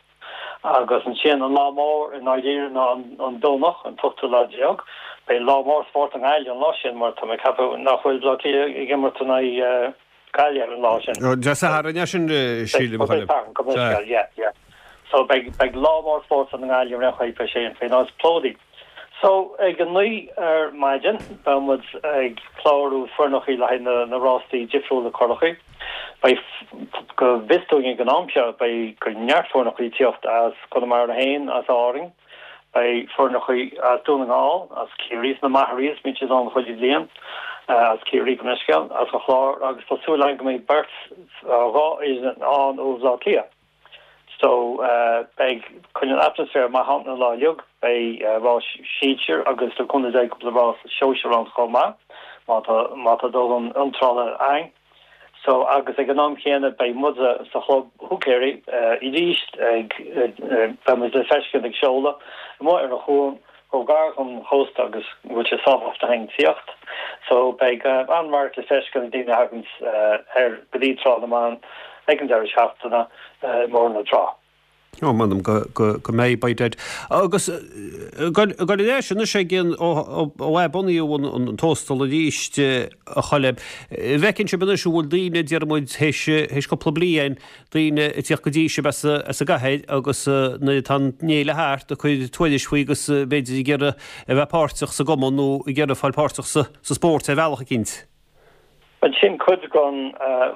Agus ansin an lá mór i ndáiríre ná an Domhnach, an t-ochtú lá déag. Beidh lá mór spóirt i nGaillimh an lá sin mar tá mé ag ceapadh nach bhfuil Bleá Cliath ag imirt in aghaidh Gaillimh ar an lá sin. Dé Sathairn é sin, sílim, a Choilm. Dé Sathairn, gabh mo leithscéal, yeah, yeah. So beidh, beidh lá mór spóirt i nGaillimh ar aon chaoi, beidh sé faoin áit plódaithe. So ag a 9 ar maidin beidh muid ag clárú foirneachaí le haghaidh na na rástaí difriúla curachaí. Beidh, go bhfios dúinn ag an am seo, beidh go neart foirneachaí ag tíocht as Conamara féin, as Árainn, beidh foirneachaí as Dún na nGall, as Ciarraí, as na Magherays, bíonn siad ann chuile bhliain, as Ciarraí gabh mo leithscéal, as an Chlár agus tá súil againn go mbeidh beirt, dhá fhoireann ann ó Bhaile Átha Cliath. So beidh coinneáil atmaisféar maith ann an lá uilig, beidh rás sinsir agus le cúnamh Dé cúpla rás sóisir ann chomh maith má tá má tá dóthain iontrálaithe againn. So agus ag an am chéanna beidh muide sa chlub húicéirí arís ag beidh muid le feiscint ag seoladh amuigh ar an chuan chomh gar don chósta agus go bhfuil sé sábháilte againn tíocht. So beidh an-radharc le feiscint ag daoine a thaganns ar go dtí Trá na mBan ag an deireadh seachtaine i mBóthar na Trá. Ó, m'anam go, go, go mbeidh, by dad. Agus ag dul ar ais anois ag an, ó, ó, ó athbunaíodh an, an, an Tóstal arís, a Choilm, an bhfeiceann sibh anois an bhfuil daoine, déarfaidh muid, théis, théis cúpla bliain, daoine ag tíocht go dtí sibh as an gcathair agus nuair atá an fhéile thart ag cur tuairisc faoi agus b'fhéidir ag iarraidh a bheith páirteach sa gcumann nó ag iarraidh fáil páirteach sa spórt ar bhealach eicínt. Bhuel sin cuid den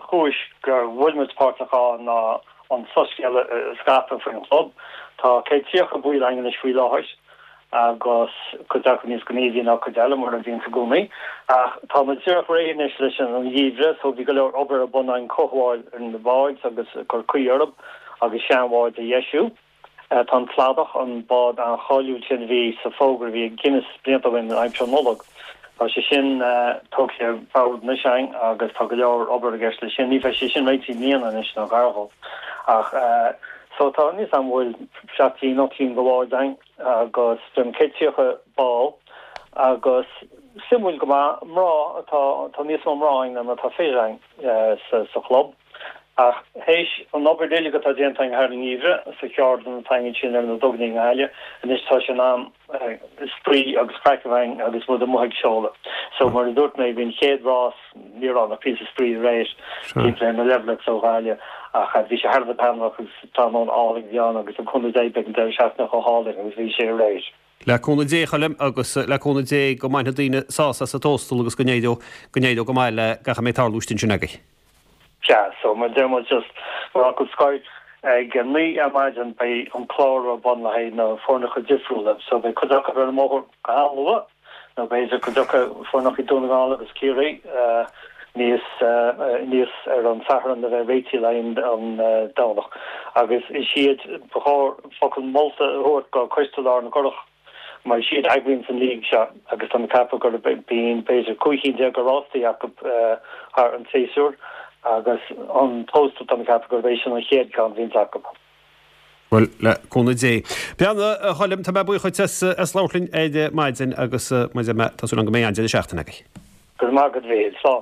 chúis go bhfuil muid páirteach ann ná an soiscéal a scaipeadh faoin chlub. Tá 130 baill againn anois faoi láthair. agus cuid acu níos gníomhaí ná cuid eile, mar a bhíonns i gcónaí. Ach tá muid díreach réidh anois leis an gheimhreadh, so bhí go leor obair ar bun againn, cothabháil ar na báid agus cur caoi orthu agus seanbháid a dheisiú. Tá an Cladach, an bád an-cháiliúil sin a bhí sa bhfógra a bhí ag Guinness blianta ó shin aimsir Nollag, tá sé sin tógtha ar bord anois againn agus tá go leor obair i gceist leis sin. Ní bheidh sé sin réitithe i mbliana anois nó gar dhó. Ach so tá níl a fhios agam an bhfuil seacht gcinn, ocht gcinn de bháid againn agus b'fhéidir 130 ball agus suimiúil go maith, mná atá, tá níos mó mná againn ná mar atá fir againn sa sa chlub. Ach théis an obair uilig atá déanta againn thar an ngeimhreadh sa cheardlann atá againn ansin ar na duganna i nGaillimh, anois tá sé in am spraoi agus craic a bheith againn agus muid amuigh ag seoladh. So mar a dúirt mé, bhí an chéad rás, ní raibh ann ach píosa spraoi aréir timpeall ar na Levelets ó Ghaillimh ach bhí sé thar a bheith taitneamhach agus tráthnóna álainn a bhí ann agus le cúnamh Dé beidh an deireadh seachtaine chomh hálainn agus bhí sé aréir. Le cúnamh Dé, a Choilm, agus le cúnamh Dé go mbainfidh daoine sásamh as an Tóstal agus go n-éireoidh go n-éireoidh go maith le gach a mbeidh ag tarlú istigh ansin agaibh. Sea, so mar a deir muid just mar fhocal scoir, ag a 9 ar maidin beidh an clárú ar bun le haghaidh na foirneacha difriúla. So beidh cuid acu ar an mbóthar go han-luath, nó b'fhéidir cuid acu foirneacha Dún na nGall agus Ciarraí níos níos ar an Satharn a bheith réitithe le haghaidh an Domhnach. Agus is iad, ba chóir focal molta a thabhairt go Coiste Lár na gCurach, mar is iad a eagraíonns an league seo agus tá mé ag ceapadh gur bíonn b'fhéidir 15 cinn de rástaí acu thar an tséasúr agus an Tóstal tá mé ag ceapadh gurb é sin an chéad ceann a bhíonns acu. Bhuel, le cúnamh Dé. Beannacht, a Choilm, tá mé buíoch dhuit as as labhairt linn ar maidin agus mar a deir mé, tá súil agam go mbeidh an-deireadh seachtaine agaibh. Go raibh maith agat, a Mhíchíl. Slán.